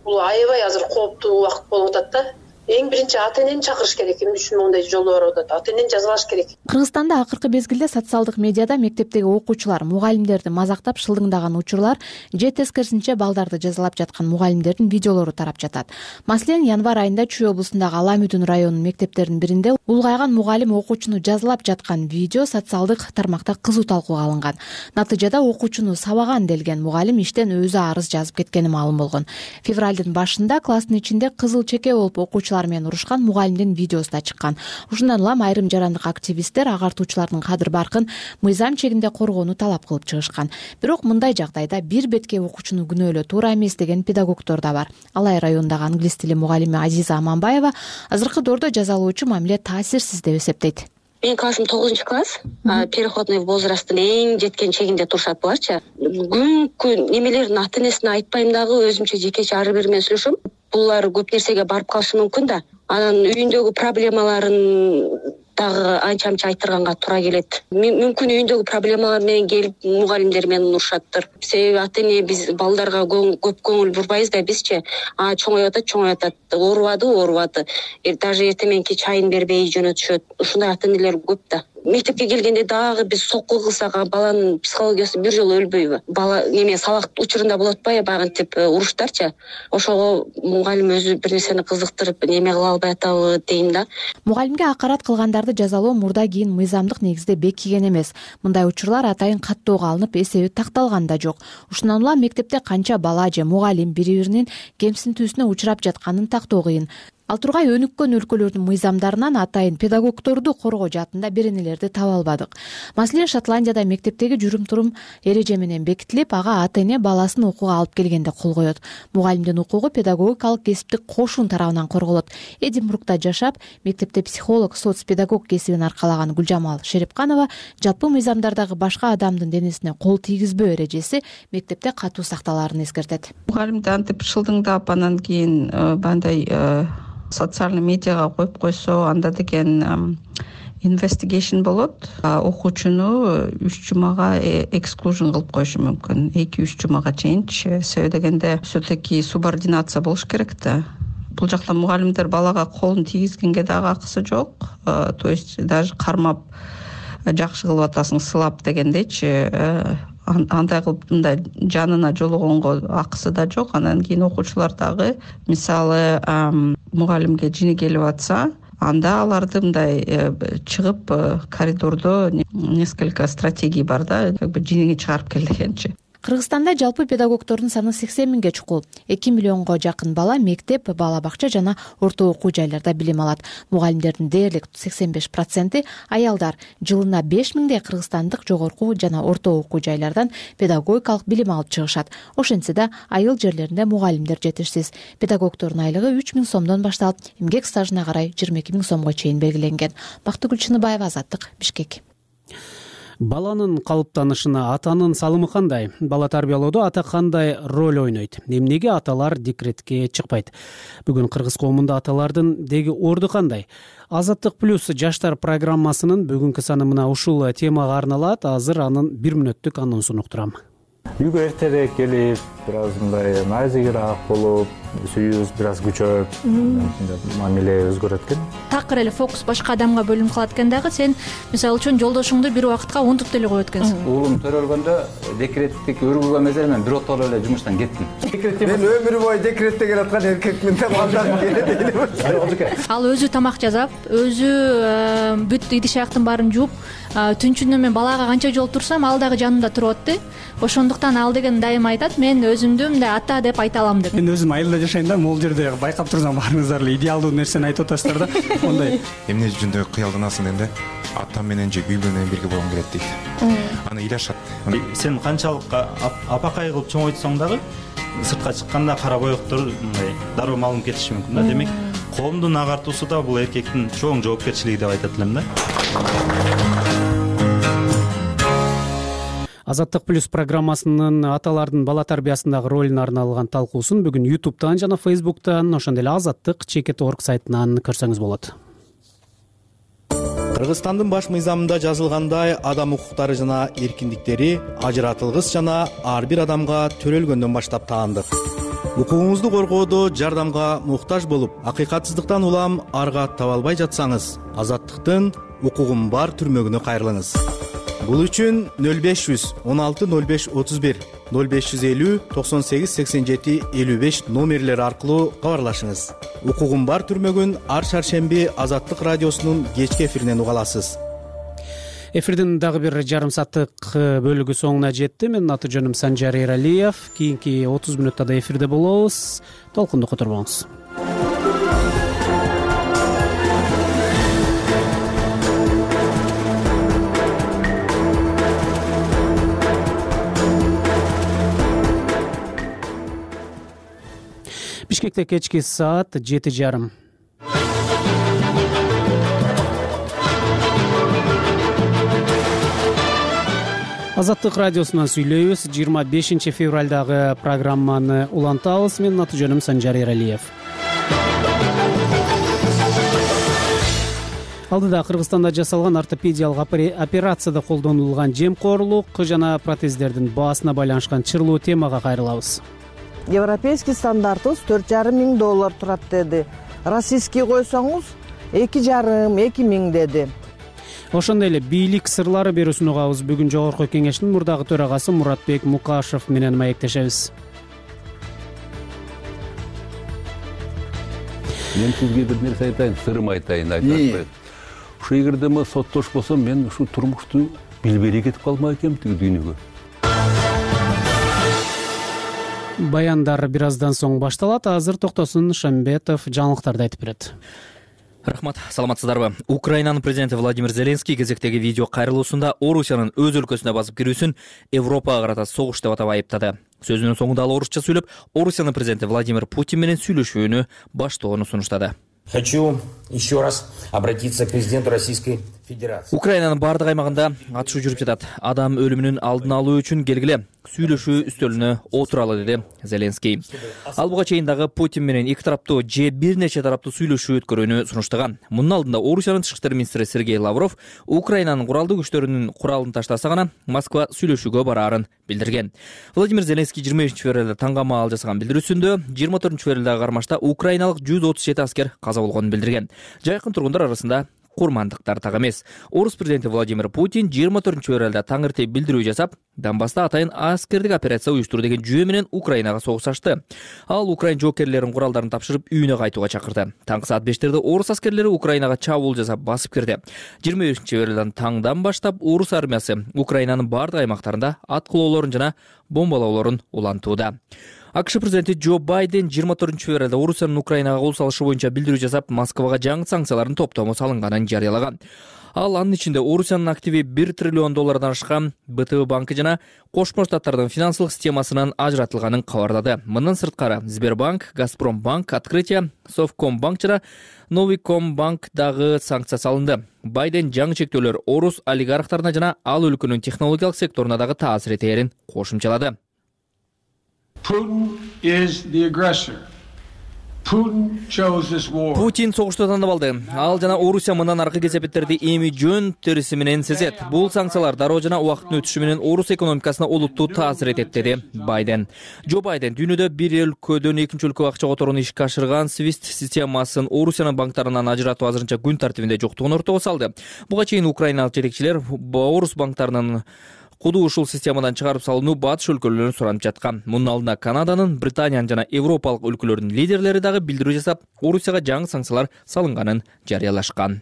бул аябай азыр кооптуу убакыт болуп атат да. эң биринчи ата энени чакырыш керек. Эмне үчүн мондай жолу барып атат? Ата энени жазалаш керек. Кыргызстанда акыркы мезгилде социалдык медиада мектептеги окуучулар мугалимдерди мазактап шылдыңдаган учурлар же тескерисинче балдарды жазалап жаткан мугалимдердин видеолору тарап жатат. Маселен, январь айында Чүй облусундагы Ала Мүдүн районунун мектептеринин биринде улгайган мугалим окуучуну жазалап жаткан видео социалдык тармакта кызуу талкууга алынган. Натыйжада окуучуну сабаган делген мугалим иштен өзү арыз жазып кеткени маалым болгон. Февралдын башында класстын ичинде кызыл чеке болуп окуучулар менен урушкан мугалимдин видеосу да чыккан. Ушундан улам айрым жарандык активисттер агартуучулардын кадыр баркын мыйзам чегинде коргоону талап кылып чыгышкан. Бирок мындай жагдайда бир бетке окуучуну күнөөлөө туура эмес деген педагогдор да бар. Алай районундагы англис тили мугалими Азиза Аманбаева азыркы доордо жазалоочу мамиле таасирсиз деп эсептейт. Менин классым тогузунчу класс, переходный возрасттын эң жеткен чегинде турушат буларчы. Күнкү немелердин ата энесине айтпайм дагы, өзүмчө жекече ар бир менен сүйлөшөм. Булар көп нерсеге барып калышы мүмкүн да. Анан үйүндөгү проблемаларын дагы анча анча айтырганга туура келет. Мүмкүн үйүндөгү проблемалар менен келип мугалимдер менен урушаттыр. Себеби ата эне биз балдарга көп көңүл бурбайбыз да, бизчи. А чоңоюп атат, чоңоюп атат. Оорубады, оорубады. Даже эртең мененки чайын бербей жөнөтүшөт. Ушундай ата энелер көп да. Мектепке келгенде дагы биз сокку кылсак, баланын психологиясы бир жолу өлбөйбү? Бала неме сабак учурунда болот атпайбы, багынтип уруштарчы. Ошого мугалим өзү бир нерсени кызыктырып неме кыла албай атабы дейм да. Мугалимге акарат кылгандарды жазалоо мурда кийин мыйзамдык негизде бекиген эмес. Мындай учурлар атайын каттоого алынып, эсеби такталган да жок. Ушундан улам мектепте канча бала же мугалим бири-биринин кемсинтүүсүнө учурап жатканын тактоо кыйын. Ал тургай өнүккөн өлкөлөрдүн мыйзамдарынан атайын педагогдорду коргоо жаатында беренелерди таба албадык. Маселен, Шотландияда мектептеги жүрүм-турум эреже менен бекитилип, ага ата эне баласын окууга алып келгенде кол коет. Мугалимдин укугу педагогикалык кесиптик кошун тарабынан корголот. Эдинбургда жашап, мектепте психолог, соцпедагог кесибин аркалаган Гүлжамал Шерипканова жалпы мыйзамдардагы башка адамдын денесине кол тийгизбөө эрежеси мектепте катуу сакталаарын эскертет. Мугалимди антип шылдыңдап, анан кийин бандай социальный медиага коюп койсо, анда деген investigation болот. Окуучуну үч жумага exclusion кылып коюшу мүмкүн. эки үч жумага чейинчи. Себеби дегенде все-таки субординация болуш керек да. Бул жакта мугалимдер балага колун тийгизгенге дагы акысы жок. То есть даже кармап жакшы кылып атасың, сылап дегендейчи, андай кылып мындай жанына жологонго акысы да жок. Анан кийин окуучулар дагы мисалы мугалимге жини келип атса, анда аларды мындай чыгып коридордо несколько стратегий бар да, как бы жинини чыгарып кел дегенчи. Кыргызстанда жалпы педагогдордун саны сексен миңге чукул. эки миллионго жакын бала мектеп, бала бакча жана орто окуу жайларда билим алат. Мугалимдердин дээрлик сексен беш проценти аялдар. Жылына беш миңдей кыргызстандык жогорку жана орто окуу жайлардан педагогикалык билим алып чыгышат. Ошентсе да айыл жерлеринде мугалимдер жетишсиз. Педагогдордун айлыгы үч миң сомдон башталып, эмгек стажына карай жыйырма эки миң сомго чейин белгиленген. Бактыгүл Чыныбаева, Азаттык, Бишкек. Баланын калыптанышына атанын салымы кандай? Бала тарбиялоодо ата кандай роль ойнойт? Эмнеге аталар декретке чыкпайт? Бүгүн кыргыз коомунда аталардын деги орду кандай? Азаттык плюс жаштар программасынын бүгүнкү саны мына ушул темага арналат. Азыр анын бир мүнөттүк анонсун уктурам. Үйгө эртерээк келип, бир аз мындай назигирээк болуп, сүйүүбүз бир аз күчөп, мамиле өзгөрөт экен. Такыр эле фокус башка адамга бөлүнүп калат экен дагы, сен мисалы үчүн жолдошуңду бир убакытка унутуп деле коет экенсиң. Уулум төрөлгөндө декреттик өргүлгөн мезгил мен бир отоло эле жумуштан кеттим. Мен өмүр бою декретте келаткан эркекмин деп балдарым келет эле. Ал өзү тамак жасап, өзү бүт идиш аяктын баарын жууп, түнчүнө мен балага канча жолу турсам, ал дагы жанымда турат да. Ошондуктан ал деген дайыма айтат, мен өзүмдү мындай ата деп айта алам деп. Мен өзүм айылда жашайм да, могул жерде байкап турсам, баарыңыздар эле идеалдуу нерсени айтып атасыздар да. Ондай эмне жүзүндө кыялданасың дегенде, атам менен же үй менен бирге болгум келет дейт. Аны ыйлашат. Сен канчалык апакай кылып чоңойтсоң дагы, сыртка чыкканда кара боектор мындай дароо малынып кетиши мүмкүн да. Демек, коомдун агартуусу да бул эркектин чоң жоопкерчилиги деп айтат элем да. Азаттык плюс программасынын аталардын бала тарбиясындагы ролуна арналган талкуусун бүгүн ютубтан жана фейсбуктан, ошондой эле азаттык чекит орг сайтынан көрсөңүз болот. Кыргызстандын баш мыйзамында жазылгандай, адам укуктары жана эркиндиктери ажыратылгыс жана ар бир адамга төрөлгөндөн баштап таандык. Укугуңузду коргоодо жардамга муктаж болуп, акыйкатсыздыктан улам аргат таба албай жатсаңыз, азаттыктын укугум бар түрмөгүнө кайрылыңыз. Бул үчүн нөл беш жүз он алты нөл беш отуз бир, нөл беш жүз элүү токсон сегиз сексен жети элүү беш номерлери аркылуу кабарлашыңыз. Укугум бар түрмөгүн ар шаршемби Азаттык радиосунун кечки эфиринен уга аласыз. Эфирдин дагы бир жарым сааттык бөлүгү соңуна жетти. Менин аты жөнүм Санжар Эралиев. Кийинки отуз мүнөттө да эфирде болобуз. Толкунду которбоңуз. Бишкекте кечки саат жети жарым. Азаттык радиосунан сүйлөйбүз. жыйырма бешинчи февралдагы программаны улантабыз. Менин аты жөнүм Санжар Эралиев. Алдыда Кыргызстанда жасалган ортопедиялык операцияда колдонулган жемкорлук жана протездердин баасына байланышкан чырлуу темага кайрылабыз. Европейский стандартыбыз төрт жарым миң доллар турат деди. Российский койсоңуз эки жарым эки миң деди. Ошондой эле бийлик сырлары берүүсүн угабыз. Бүгүн Жогорку Кеңештин мурдагы төрагасы Муратбек Мукашев менен маектешебиз. Мен сизге бир нерсе айтайын, сырым айтайын, айтпайм. Ушу эгерде мен соттош болсом, мен ушу турмушту билбей кетип калмак экенмин тиги дүйнөгө. Баяндар бир аздан соң башталат. Азыр Токтосун Шамбетов жаңылыктарды айтып берет. Рахмат, саламатсыздарбы? Украинанын президенти Владимир Зеленский кезектеги видео кайрылуусунда Орусиянын өз өлкөсүнө басып кирүүсүн Европага карата согуш деп атап айыптады. Сөзүнүн соңунда ал орусча сүйлөп, Орусиянын президенти Владимир Путин менен сүйлөшүүнү баштоону сунуштады. Хочу еще раз обратиться к президенту Российской Федерации. Украинанын бардык аймагында атышуу жүрүп жатат. Адам өлүмүнүн алдын алуу үчүн келгиле сүйлөшүү үстөлүнө отуралы деди Зеленский. Ал буга чейин дагы Путин менен эки тараптуу же бир нече тараптуу сүйлөшүү өткөрүүнү сунуштаган. Мунун алдында Орусиянын тышкы иштер министри Сергей Лавров Украинанын куралдуу күчтөрүнүн куралын таштаса гана Москва сүйлөшүүгө бараарын билдирген. Владимир Зеленский жыйырма бешинчи февралда таңгамаал жасаган билдирүүсүндө жыйырма төртүнчү февралдагы кармашта украиналык жүз отуз жети аскер каза болгонун билдирген. Жайкын тургундар арасында курмандыктар так эмес. Орус президенти Владимир Путин жыйырма төртүнчү февралда таң эрте билдирүү жасап, Донбасста атайын аскердик операция уюштуруу деген жүйө менен Украинага согуш ачты. Ал Украин жоокерлеринин куралдарын тапшырып, үйүнө кайтууга чакырды. Таңкы саат бештерде орус аскерлери Украинага чабуул жасап басып кирди. жыйырма бешинчи февралдан таңдан баштап орус армиясы Украинанын бардык аймактарында аткылоолорун жана бомбалоолорун улантууда. АКШ президенти Джо Байден жыйырма төртүнчү февралда Орусиянын Украинага кол салышы боюнча билдирүү жасап, Москвага жаңы санкциялардын топтому салынганын жарыялаган. Ал анын ичинде Орусиянын активи бир триллион доллардан ашкан Б Т В банкы жана Кошмо Штаттардын финансылык системасынан ажыратылганын кабарлады. Мындан сырткары Сбербанк, Газпромбанк, Открытие, Совкомбанк жана Новикомбанк дагы санкция салынды. Байден жаңы чектөөлөр орус олигархтарына жана ал өлкөнүн технологиялык секторуна дагы таасир этээрин кошумчалады. Putin is the aggressor. Putin chose this war. Путин согушту тандап алды. Ал жана Орусия мындан аркы кесепеттерди эми жөн териси менен сезет. Бул санкциялар дароо жана убакыттын өтүшү менен орус экономикасына олуттуу таасир этет, деди Байден. Джо Байден дүйнөдө бир өлкөдөн экинчи өлкөгө акча которууну ишке ашырган свифт системасын Орусиянын банктарынан ажыратуу азырынча күн тартибинде жоктугун ортого салды. Буга чейин украиналык жетекчилер орус банктарынын куду ушул системадан чыгарып салууну батыш өлкөлөрүнөн суранып жаткан. Мунун алдында Канаданын, Британиянын жана Европалык өлкөлөрдүн лидерлери дагы билдирүү жасап, Орусияга жаңы санкциялар салынганын жарыялашкан.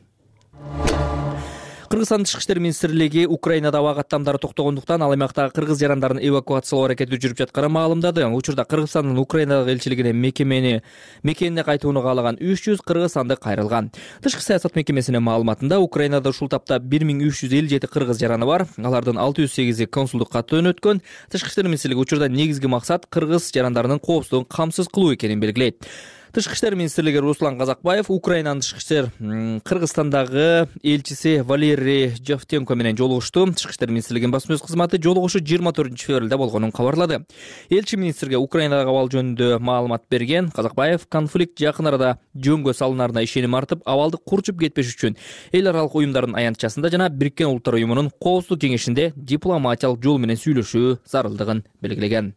Кыргызстандын тышкы иштер министрлиги Украинада аба каттамдары токтогондуктан ал аймактагы кыргыз жарандарын эвакуациялоо аракети жүрүп жатканын маалымдады. Учурда Кыргызстандын Украинадагы элчилигине мекемени мекенине кайтууну каалаган үч жүз кыргызстандык кайрылган. Тышкы саясат мекемесинин маалыматында Украинада ушул тапта бир миң үч жүз элүү жети кыргыз жараны бар. Алардын алты жүз сегизи консулдукка жөнөткөн. Тышкы иштер министрлиги учурда негизги максат кыргыз жарандарынын коопсуздугун камсыз кылуу экенин белгилейт. Тышкы иштер министрлиги Руслан Казакбаев Украинанын тышкы иштер Кыргызстандагы элчиси Валерий Жовтенко менен жолугушту. Тышкы иштер министрлигинин басма сөз кызматы жолугушуу жыйырма төртүнчү февралда болгонун кабарлады. Элчи министрге Украинадагы абал жөнүндө маалымат берген Казакбаев конфликт жакын арада жөнгө салынарына ишеним артып, абалды курчуп кетпеш үчүн эл аралык уюмдардын аянтчасында жана Бириккен Улуттар уюмунун Коопсуздук кеңешинде дипломатиялык жол менен сүйлөшүү зарылдыгын белгилеген.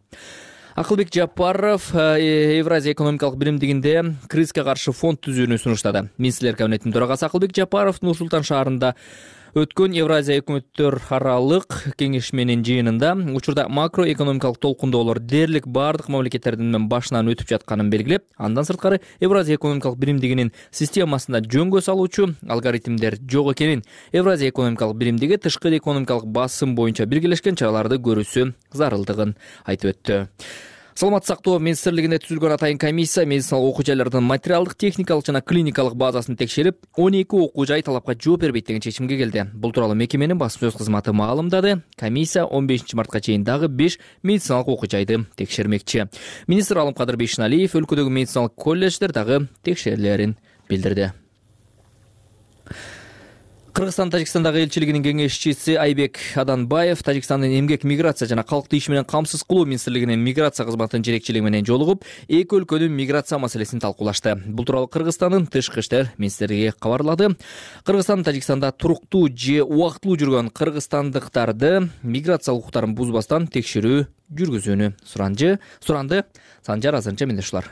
Акылбек Жапаров Евразия экономикалык биримдигинде кризиске каршы фонд түзүүнү сунуштады. Министрлер кабинетинин төрагасы Акылбек Жапаров Нур Султан шаарында өткөн Евразия өкмөттөр аралык кеңешменин жыйынында учурда макроэкономикалык толкундоолор дээрлик бардык мамлекеттердин башынан өтүп жатканын белгилеп, андан сырткары Евразия экономикалык биримдигинин системасында жөнгө салуучу алгоритмдер жок экенин, Евразия экономикалык биримдиги тышкы экономикалык басым боюнча биргелешкен чараларды көрүүсү зарылдыгын айтып өттү. Саламаттык сактоо министрлигинде түзүлгөн атайын комиссия медициналык окуу жайлардын материалдык, техникалык жана клиникалык базасын текшерип, он эки окуу жай талапка жооп бербейт деген чечимге келди. Бул тууралуу мекеменин басма сөз кызматы маалымдады. Комиссия он бешинчи мартка чейин дагы беш медициналык окуу жайды текшермекчи. Министр Алымкадыр Бейшеналиев өлкөдөгү медициналык колледждер дагы текшерилерин билдирди. Кыргызстан Тажикстандагы элчилигинин кеңешчиси Айбек Аданбаев Тажикстандын эмгек, миграция жана калкты иш менен камсыз кылуу министрлигинин миграция кызматынын жетекчилиги менен жолугуп, эки өлкөнүн миграция маселесин талкуулашты. Бул тууралуу Кыргызстандын тышкы иштер министрлиги кабарлады. Кыргызстан Тажикстанда туруктуу же убактылуу жүргөн кыргызстандыктарды миграция укуктарын бузбастан текшерүү жүргүзүүнү суранды. Суранды Санжар азырынча менде ушулар.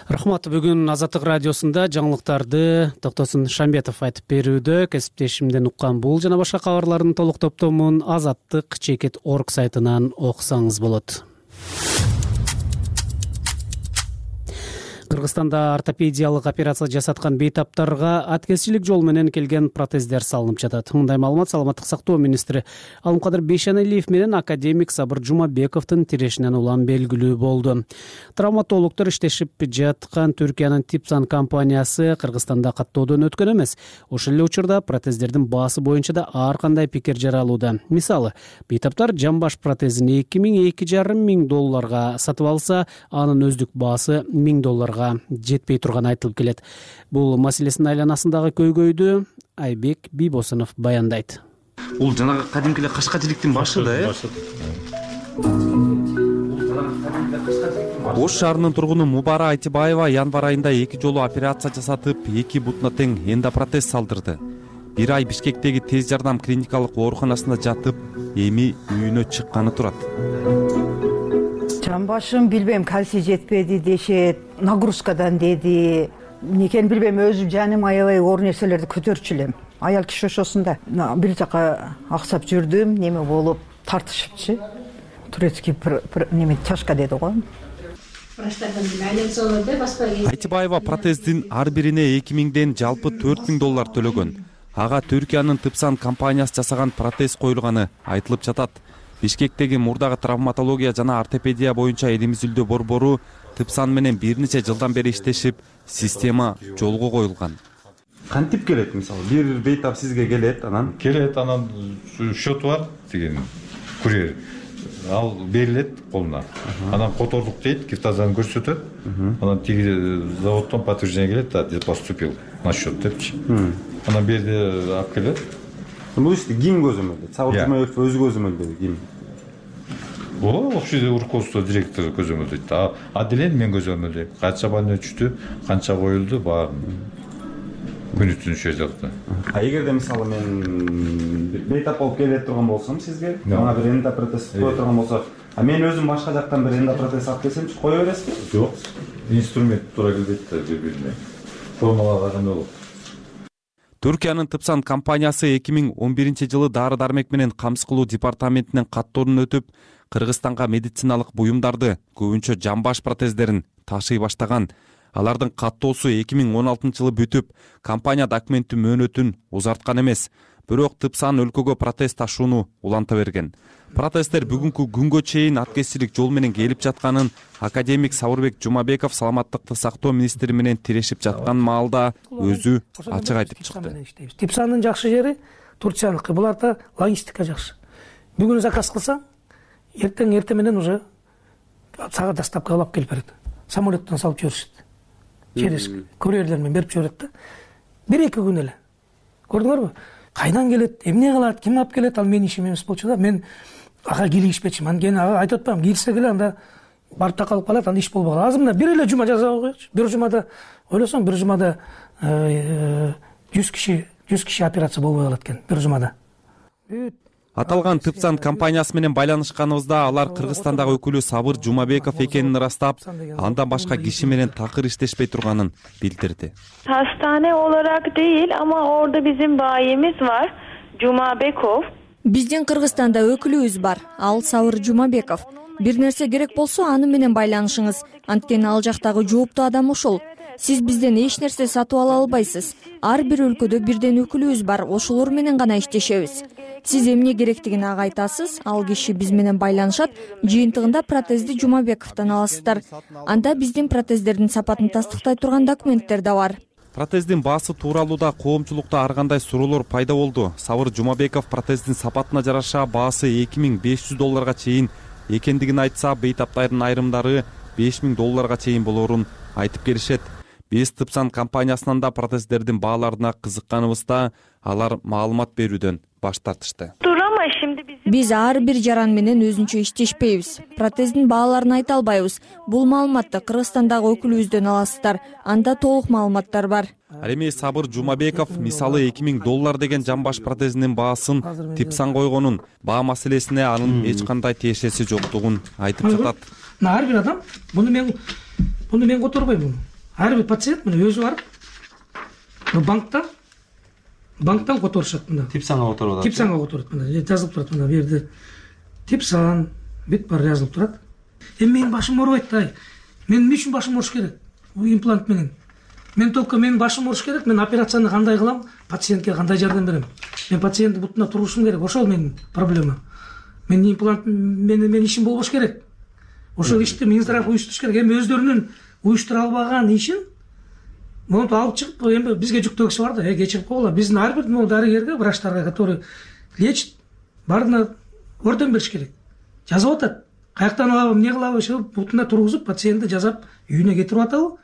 Рахмат. Бүгүн Азаттык радиосунда жаңылыктарды Токтосун Шамбетов айтып берүүдө. Кесиптешимден уккан бул жана башка кабарлардын толук топтомун азаттык чекит точка орг сайтынан окусаңыз болот. Кыргызстанда ортопедиялык операция жасаткан бейтаптарга аткезчилик жол менен келген протездер салынып жатат. Мындай маалымат Саламаттык сактоо министри Алымкадыр Бейшеналиев менен академик Сабыр Жумабековдун тирешинен улам белгилүү болду. Травматологдор иштешип жаткан Түркиянын Типсан компаниясы Кыргызстанда каттоодон өткөн эмес. Ошол эле учурда протездердин баасы боюнча да ар кандай пикир жаралууда. Мисалы, бейтаптар жамбаш протезин эки миң эки жарым миң долларга сатып алса, анын өздүк баасы миң долларга жетпей турганы айтылып келет. Бул маселесинин айланасындагы көйгөйдү Айбек Бийбосунов баяндайт. Бул жанагы кадимки эле кашкачиликтин башы да, э? Ош шаарынын тургуну Мубара Айтибаева январь айында эки жолу операция жасатып, эки бутуна тең эндопротез салдырды. Бир ай Бишкектеги тез жардам клиникалык ооруканасында жатып, эми үйүнө чыкканы турат. Жамбашым билбейм, кальций жетпеди дешет, нагрузкадан деди. Никени билбейм, өзүм жаным аябай оор нерселерди көтөрчү элем. Аял киши ошосунда. Бир жака аксап жүрдүм, неме болуп тартышыпчы. Турецкий неме чашка деди го. Айтибаева протездин ар бирине эки миңден жалпы төрт миң доллар төлөгөн. Ага Түркиянын Типсан компаниясы жасаган протез коюлганы айтылып жатат. Бишкектеги мурдагы травматология жана ортопедия боюнча элимиздүү борбору Типсан менен бир нече жылдан бери иштешип, система жолго коюлган. Кантип келет, мисалы, бир бейтап сизге келет, анан келет, анан счет бар деген курьер. Ал берилет колуна. Анан котордук дейт, киртазаны көрсөтөт. Анан тиги заводдон подтверждение келет, да, поступил на счет депчи. Анан берди алып келет. Бул ишти ким көзөмөлдөйт? Сабыр Жумабеков өзү көзөмөлдөйбү, ким? Ооба, общий руководство директору көзөмөлдөйт. А делен мен көзөмөлдөйм. Канча больной түштү, канча коюлду, баарын күнү түнү жазды. А эгерде мисалы мен бейтап болуп келе турган болсом сизге, мага бир эндопротез кое турган болсо, а мен өзүм башка жактан бир эндопротез алып келсемчи, кое бересизби? Жок. Инструмент туура келбейт да бири-бирине. Формулаган болот. Түркиянын Типсан компаниясы эки миң он биринчи жылы дары-дармек менен камсыз кылуу департаментинен каттоодон өтүп, Кыргызстанга медициналык буюмдарды, көбүнчө жамбаш протездерин ташый баштаган. Алардын каттоосу эки миң он алтынчы жылы бүтүп, компания документтин мөөнөтүн узарткан эмес. Бирок Типсан өлкөгө протез ташууну уланта берген. Протездер бүгүнкү күнгө чейин аткезчилик жол менен келип жатканын академик Сабырбек Жумабеков саламаттыкты сактоо министри менен тирешип жаткан маалда өзү ачык айтып чыкты. Типсандын жакшы жери Турцияныкы. Буларда логистика жакшы. Бүгүн заказ кылсаң, эртең эртең менен уже сага доставка алып келип берет. Самолеттон салып жиберишет. через курьерлер менен берип жиберет да. Бир эки күн эле. Көрдүңөрбү? Кайдан келет, эмне кылат, ким алып келет, ал менин ишим эмес болчу да. Мен ага кийлигишпечимин. Анткени ага айтып атпаймынбы, кийилсе эле анда барып такалып калат, анда иш болбой калат. Азырында бир эле жума жасап коечу. Бир жумада ойлосоң, бир жумада жүз киши, жүз киши операция болбой калат экен бир жумада. Аталган Тыпсан компаниясы менен байланышканыбызда алар Кыргызстандагы өкүлү Сабыр Жумабеков экенин ырастап, андан башка киши менен такыр иштешпей турганын билдирди. Hastane olarak değil ama orada bizim bayimiz var. Jumabekov. Биздин Кыргызстанда өкүлүбүз бар. Ал Сабыр Жумабеков. Бир нерсе керек болсо аны менен байланышыңыз. Анткени ал жактагы жооптуу адам ошол. Сиз бизден эч нерсе сатып ала албайсыз. Ар бир өлкөдө бирден өкүлүбүз бар, ошолор менен гана иштешебиз. Сиз эмне керектигин ага айтасыз, ал киши биз менен байланышат, жыйынтыгында протезди Жумабековдон аласыздар. Анда биздин протездердин сапатын тастыктай турган документтер да бар. Протездин баасы тууралуу да коомчулукта ар кандай суроолор пайда болду. Сабыр Жумабеков протездин сапатына жараша баасы эки миң беш жүз долларга чейин экендигин айтса, бейтаптардын айрымдары беш миң долларга чейин болорун айтып келишет. Биз Тыпсан компаниясынан да протездердин бааларына кызыкканыбызда алар маалымат берүүдөн баш тартышты. Биз ар бир жаран менен өзүнчө иштешпейбиз. Протездин бааларын айта албайбыз. Бул маалыматты Кыргызстандагы өкүлүбүздөн аласыздар. Анда толук маалыматтар бар. Ал эми Сабыр Жумабеков мисалы эки миң доллар деген жамбаш протезинин баасын Тыпсан койгонун, баа маселесине анын эч кандай тиешеси жоктугун айтып жатат. Ар бир адам муну мен муну мен которбойм. Ар бир пациент мына өзү барып банктан банктан которушат мына. Типсанга которуп атат. Типсанга которот мына. Жазылып турат мына бу жерде. Типсан бүт бар жазылып турат. Эми менин башым оорубайт да. Мен эмне үчүн башым ооруш керек? Бул имплант менен. Мен только менин башым ооруш керек. Мен операцияны кандай кылам? Пациентке кандай жардам берем? Мен пациенттин бутуна турушум керек. Ошол менин проблема. Менин имплант менен менин ишим болбош керек. Ошол ишти Минздрав уюштуруш керек. Эми өздөрүнүн уюштура албаган ишин монтип алып чыгып, эми бизге жүктөгүсү бар да, э кечирип койгула. Биздин ар бир могу дарыгерге, врачтарга, который лечит, баарына орден бериш керек. Жазып атат. Каяктан алабы, эмне кылабы, ошо бутуна тургузуп, пациентти жазап үйүнө кетирип атабы.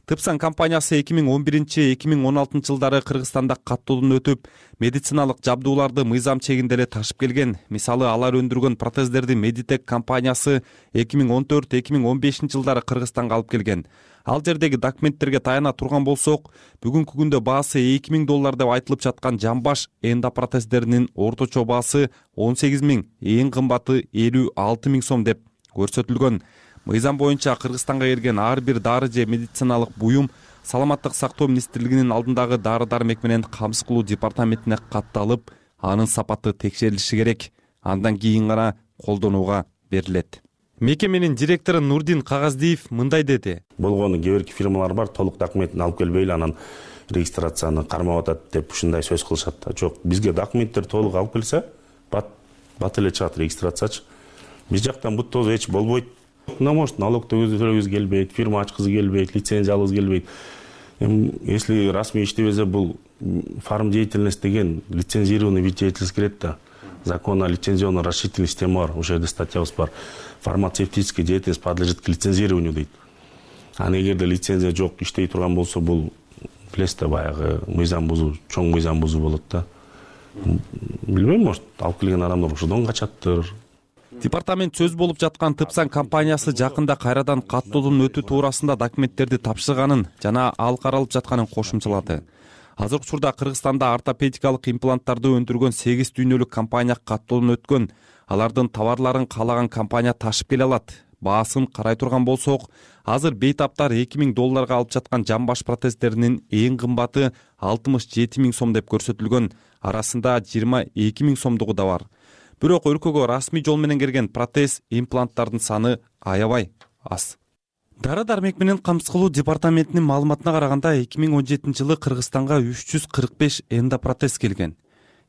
Тыпсан компаниясы эки миң он биринчи эки миң он алтынчы жылдары Кыргызстанда каттоодон өтүп, медициналык жабдууларды мыйзам чегинде эле ташып келген. Мисалы, алар өндүргөн протездерди Meditech компаниясы эки миң он төрт эки миң он бешинчи жылдары Кыргызстанга алып келген. Ал жердеги документтерге таяна турган болсок, бүгүнкү күндө баасы эки миң доллар деп айтылып жаткан жамбаш эндопротездеринин орточо баасы он сегиз миң, эң кымбаты элүү алты миң сом деп көрсөтүлгөн. Мыйзам боюнча Кыргызстанга келген ар бир дары же медициналык буюм Саламаттык сактоо министрлигинин алдындагы дары-дармек менен камсыз кылуу департаментине катталып, анын сапаты текшерилиши керек. Андан кийин гана колдонууга берилет. Мекеменин директору Нурдин Кагаздиев мындай деди. Болгону кээ бир фирмалар бар, толук документин алып келбей эле анан регистрацияны кармап атат деп ушундай сөз кылышат да. Жок, бизге документтер толук алып келсе, бат бат эле чыгат регистрациячы. Биз жактан бут тоз эч болбойт. Ну, может, налог төлөгүбүз келбейт, фирма ачкызы келбейт, лицензия алгыбыз келбейт. Если расмий иштебесе, бул фарм деятельность деген лицензированный вид деятельности кирет да. Закон о лицензионно расширительной системе бар, ошол жерде статьябыз бар. Фармацевтическая деятельность подлежит к лицензированию дейт. А эгерде лицензия жок, иштей турган болсо, бул билесиз да, баягы мыйзам бузуу, чоң мыйзам бузуу болот да. Билбейм, может, алып келген адамдар ошодон качаттыр. Департамент сөз болуп жаткан Тыпсан компаниясы жакында кайрадан каттоодон өтүү туурасында документтерди тапшырганын жана ал каралып жатканын кошумчалады. Азыркы учурда Кыргызстанда ортопедикалык импланттарды өндүргөн сегиз дүйнөлүк компания каттоодон өткөн. Алардын товарларын каалаган компания ташып келе алат. Баасын карай турган болсок, азыр бейтаптар эки миң долларга алып жаткан жамбаш протездеринин эң кымбаты алтымыш жети миң сом деп көрсөтүлгөн. Арасында жыйырма эки миң сомдугу да бар. Бирок өлкөгө расмий жол менен келген протез импланттардын саны аябай аз. Дары-дармек менен камсыз кылуу департаментинин маалыматына караганда эки миң он жетинчи жылы Кыргызстанга үч жүз кырк беш эндопротез келген.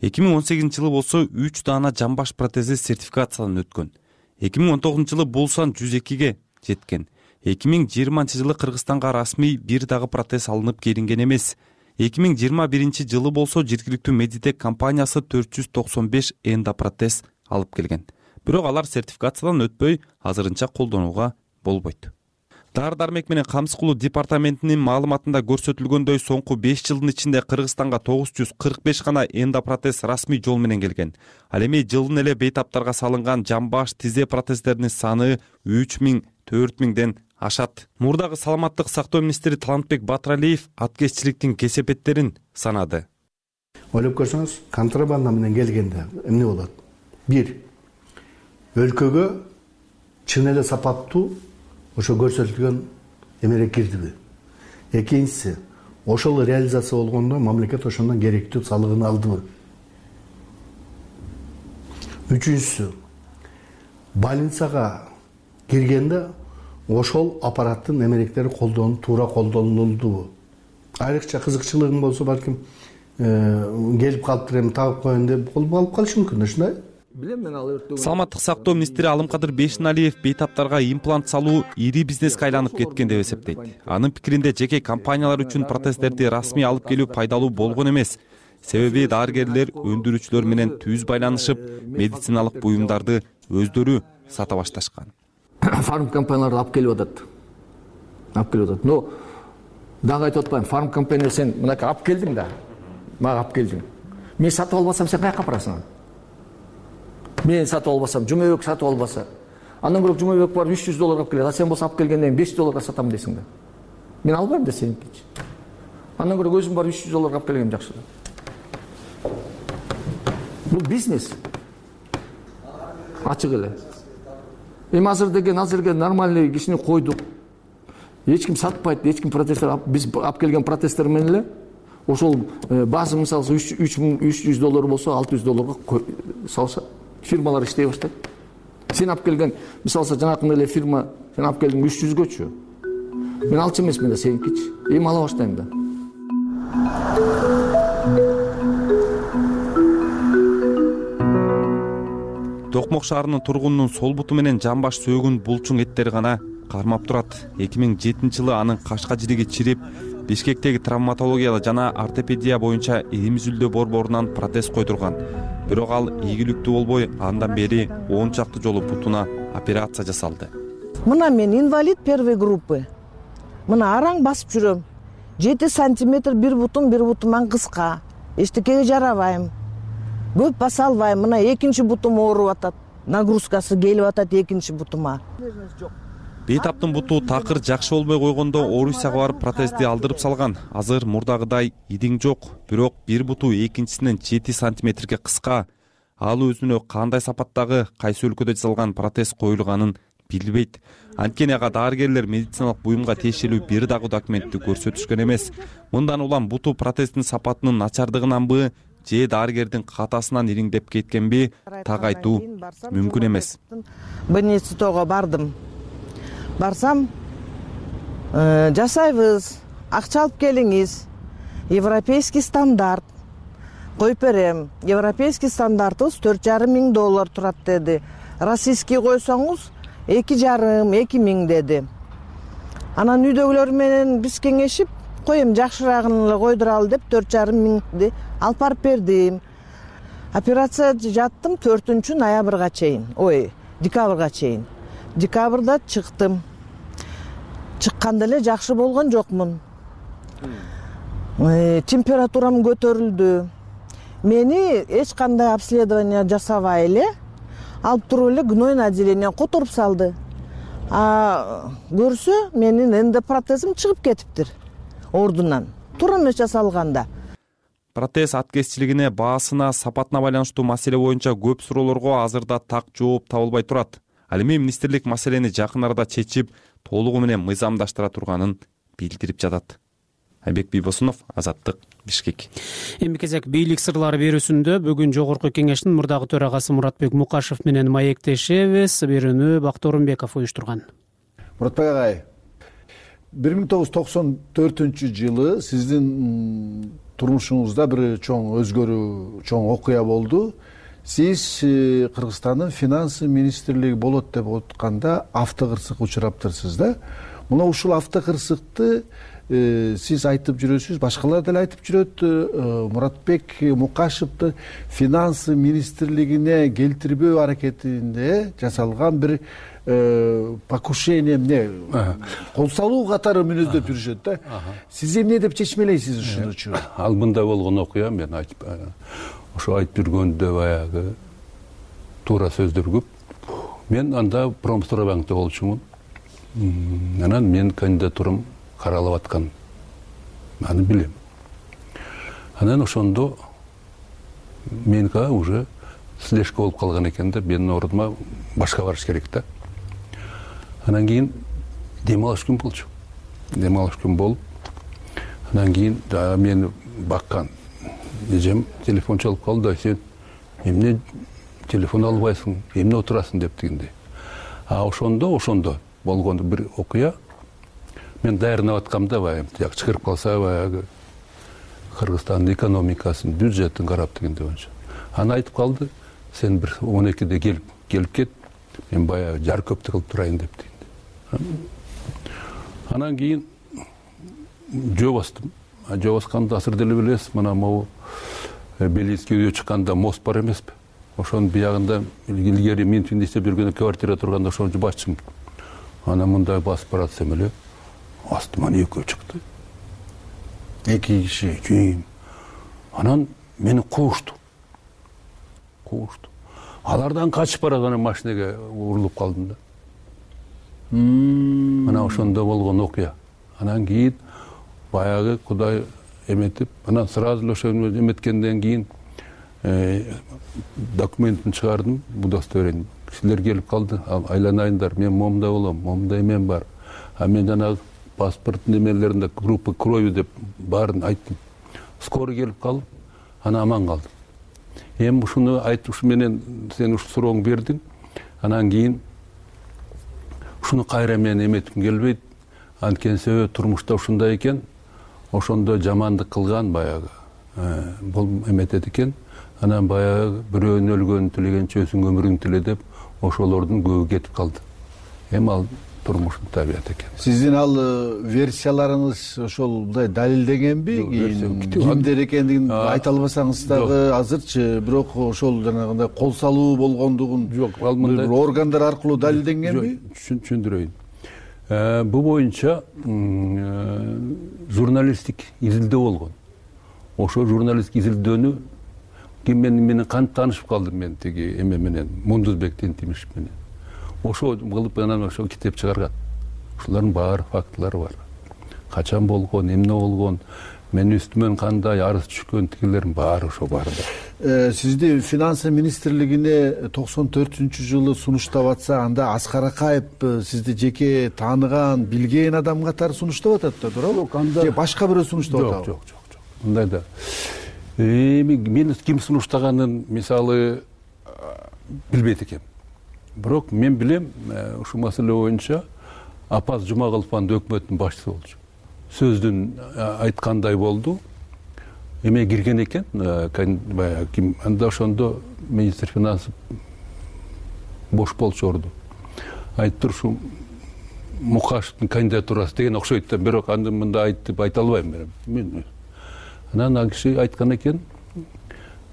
эки миң он сегизинчи жылы болсо үч даана жамбаш протези сертификациядан өткөн. эки миң он тогузунчу жылы бул сан жүз экиге жеткен. эки миң жыйырманчы жылы Кыргызстанга расмий бир дагы протез алынып келинген эмес. эки миң жыйырма биринчи жылы болсо жергиликтүү Meditech компаниясы төрт жүз токсон беш эндопротез алып келген. Бирок алар сертификациядан өтпөй, азырынча колдонууга болбойт. Дары дармек менен камсыз кылуу департаментинин маалыматында көрсөтүлгөндөй соңку беш жылдын ичинде Кыргызстанга тогуз жүз кырк беш гана эндопротез расмий жол менен келген. Ал эми жылдын эле бейтаптарга салынган жамбаш, тизе протездеринин саны үч миң төрт миңден ашат. Мурдагы саламаттык сактоо министри Талантбек Батыралиев аткезчиликтин кесепеттерин санады. Ойлоп көрсөңүз, контрабанда менен келгенде эмне болот? Бир, өлкөгө чын эле сапаттуу ошо көрсөтүлгөн эмелер кирдиби? Экинчиси, ошол реализация болгондо мамлекет ошондон керектүү салыгын алдыбы? Үчүнчүсү, больницага киргенде ошол аппараттын эмелектери колдонуп, туура колдонулдубу? Айрыкча кызыкчылыгың болсо, балким келип калыптыр, эми тагып коеюн деп алып калышы мүмкүн, ушундай. Саламаттык сактоо министри Алымкадыр Бейшеналиев бейтаптарга имплант салуу ири бизнеске айланып кеткен деп эсептейт. Анын пикиринде жеке компаниялар үчүн протездерди расмий алып келүү пайдалуу болгон эмес. Себеби дарыгерлер өндүрүүчүлөр менен түз байланышып, медициналык буюмдарды өздөрү сата башташкан. Фарм компанияларды алып келип атат. Алып келип атат. Но дагы айтып атпайм, фарм компания сен мынакей алып келдиң да. Мага алып келдиң. Мен сатып албасам сен каяка апарасың? Мен сатып албасам, Жумабек сатып албаса, андан көрө Жумабек бар үч жүз долларга алып келет, а сен болсо алып келгенден кийин беш жүз долларга сатам дейсиң да. Мен албайм да сеникичи. Андан көрө өзүм бар үч жүз долларга алып келгем жакшы. Бул бизнес. Ачык эле. Эми азыр деген азыркы нормальный кишини койдук. Эч ким сатпайт, эч ким протесттер, биз алып келген протесттер менен эле ошол база мисалы үч жүз доллар болсо алты жүз долларга салса, фирмалар иштей баштайт. Сен алып келген, мисалы жанакындай эле фирма, сен алып келдиң үч жүзгөчү. Мен алчу эмесмин да сеникичи. Эми ала баштайм да. Токмок шаарынын тургунунун сол буту менен жамбаш сөөгүн булчуң эттери гана кармап турат. эки миң жетинчи жылы анын кашка жириги чирип, Бишкектеги травматология жана ортопедия боюнча Имизүлдө борборунан протез койдурган. Бирок ал ийгиликтүү болбой, андан бери он чакты жолу бутуна операция жасалды. Мына мен инвалид первой группы. Мына араң басып жүрөм. жети сантиметр бир бутум, бир бутуман кыска. Эчтекеге жарабайм. Көп баса албайм. Мына экинчи бутум ооруп атат. Нагрузкасы келип атат экинчи бутума. Бейтаптын буту такыр жакшы болбой койгондо Орусияга барып протезди алдырып салган. Азыр мурдагыдай идиң жок, бирок бир буту экинчисинен жети сантиметрге кыска. Ал өзүнө кандай сапаттагы, кайсы өлкөдө жасалган протез коюлганын билбейт. Анткени ага дарыгерлер медициналык буюмга тиешелүү бир дагы документти көрсөтүшкөн эмес. Мындан улам буту протездин сапатынын начардыгынанбы, же дарыгердин катасынан ириңдеп кеткенби так айтуу мүмкүн эмес. Больницага бардым. Барсам, жасайбыз, акча алып келиңиз, европейский стандарт коюп берем. Европейский стандартыбыз төрт жарым миң доллар турат деди. Российский койсоңуз эки жарым, эки миң деди. Анан үйдөгүлөр менен биз кеңешип, коем жакшыраагын эле койдуралы деп төрт жарым миңди алып барып бердим. Операция жаттым төртүнчү ноябрга чейин, ой, декабрга чейин. Декабрда чыктым. Чыкканда эле жакшы болгон жокмун. Температурам көтөрүлдү. Мени эч кандай обследование жасабай эле алып туруп эле гнойный отделение которуп салды. А көрсө, менин эндопротезим чыгып кетиптир ордунан. Туура эмес жасалганда. Протез аткезчилигине, баасына, сапатына байланыштуу маселе боюнча көп суроолорго азырда так жооп табылбай турат. Ал эми министрлик маселени жакын арада чечип, толугу менен мыйзамдаштыра турганын билдирип жатат. Айбек Бийбосунов, Азаттык, Бишкек. Эми кезек бийлик сырлары берүүсүндө бүгүн Жогорку Кеңештин мурдагы төрагасы Муратбек Мукашев менен маектешебиз. Берүүнү Бактор Умбеков уюштурган. Муратбек агай, бир миң тогуз жүз токсон төртүнчү жылы сиздин турмушуңузда бир чоң өзгөрүү, чоң окуя болду. Сиз Кыргызстандын финансы министрлиги болот деп атканда автокырсык учураптырсыз да. Мына ушул автокырсыкты сиз айтып жүрөсүз, башкалар деле айтып жүрөт. Муратбек Мукашевди финансы министрлигине келтирбөө аракетинде жасалган бир покушение эмне кол салуу катары мүнөздөп жүрүшөт да. Сиз эмне деп чечмелейсиз ушунучу? Ал мындай болгон окуя, мен айтып ошо айтып жүргөндө баягы туура сөздөр көп. Мен анда Промстройбанкта болчумун. Анан мен кандидатурам каралып аткан. Аны билем. Анан ошондо меники уже слежка болуп калган экен да, менин ордума башка барыш керек да. Анан кийин дем алыш күн болчу. Дем алыш күн болуп, анан кийин мени баккан эжем телефон чалып калды. Сен эмне телефон албайсың, эмне отурасың деп дегенде. А ошондо, ошондо болгон бир окуя. Мен даярданып аткамда баягы жак чыгырып калса баягы Кыргызстандын экономикасын, бюджетин карап дегенде боюнча. Аны айтып калды. Сен бир он экиде келип, келип кет. Мен баягы жар көптү кылып турайын деп дегенде. Анан кийин жөө бастым. Жөө басканда азыр деле билесиз, мына могу Белинский үйгө чыкканда мост бар эмеспи? Ошонун биягында илгери мен иштеп жүргөндө квартира турганда ошону басчымын. Анан мындай басып баратсам эле астыман экөө чыкты. Эки киши. Анан мени куушту. Куушту. Алардан качып барган машинеге урулуп калдым да. Мына ошондо болгон окуя. Анан кийин баягы Кудай эметип, анан сразу эле ошону эметкенден кийин документин чыгардым, удостоверение. Кишилер келип калды, айланайындар, мен момда болом, момда эмен бар. А мен жанагы паспорт немелеринде группа крови деп баарын айттым. Скорый келип калып, ана аман калдым. Эми ушуну айтып, ушу менен сен ушу сурооңду бердиң. Анан кийин ушуну кайра мен эметким келбейт. Анткени себеби турмушта ушундай экен. Ошондо жамандык кылган баягы бул эметет экен. Анан баягы бирөөнүн өлгөнүн тилегенче өзүң өмүрүңдү тиле деп ошолордун көбү кетип калды. Эми ал турмуштун табияты экен. Сиздин ал версияларыңыз ошол мындай далилденгенби? Кимдер экендигин айта албасаңыз дагы азырчы, бирок ошол жанагындай кол салуу болгондугун бир органдар аркылуу далилденгенби? Түшүндүрөйүн. Бул боюнча журналисттик изилдөө болгон. Ошо журналисттик изилдөөнү ким менен кантип таанышып калдым мен тиги эме менен, Мундузбек Тентимишев менен. Ошо кылып анан ошо китеп чыгарган. Ушулардын баары фактылары бар. Качан болгон, эмне болгон, менин үстүмөн кандай арыз түшкөн тигилердин баары ошо бар да. Сизди финансы министрлигине токсон төртүнчү жылы сунуштап атса, анда Аскар Акаев сизди жеке тааныган, билген адам катары сунуштап атат да, туурабы? Же башка бирөө сунуштап атабы? Жок, жок, жок. Мындай да. Эми мени ким сунуштаганын мисалы билбейт экенмин. Бирок мен билем, ушу маселе боюнча Апаз Жумагулов анда өкмөттүн башчысы болчу. Сөздүн айткандай болду. Эме кирген экен, баягы ким анда ошондо министр финансы бош болчу орду. Айтып ушу Мукашевдин кандидатурасы деген окшойт да, бирок анда мында айтып айта албайм мен. Анан ал киши айткан экен,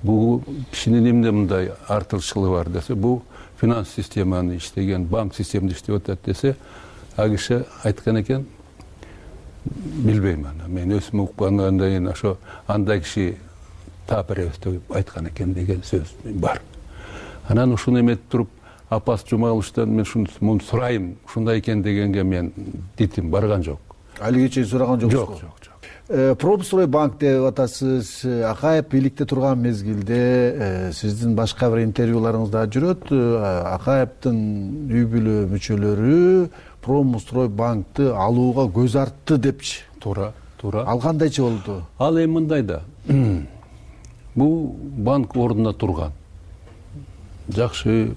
бул кишинин эмне мындай артыкчылыгы бар десе, бул финанс системаны иштеген, банк системада иштеп атат десе, ал киши айткан экен, билбейм аны. Мен өзүм уккандан кийин ошо андай киши таап деп айткан экен деген сөз бар. Анан ушуну эметип туруп, Апас Жумагуловтан мен ушуну сурайм, ушундай экен дегенге мен дитим барган жок. Алиге чейин сураган жоксуз? Жок, жок, жок. Промстройбанк деп атасыз. Акаев бийликте турган мезгилде сиздин башка бир интервьюларыңыз да жүрөт. Акаевдин үй бүлө мүчөлөрү Промстройбанкты алууга көз артты депчи. Туура, туура. Ал кандайчы болду? Ал эми мындай да. Бул банк ордуна турган. Жакшы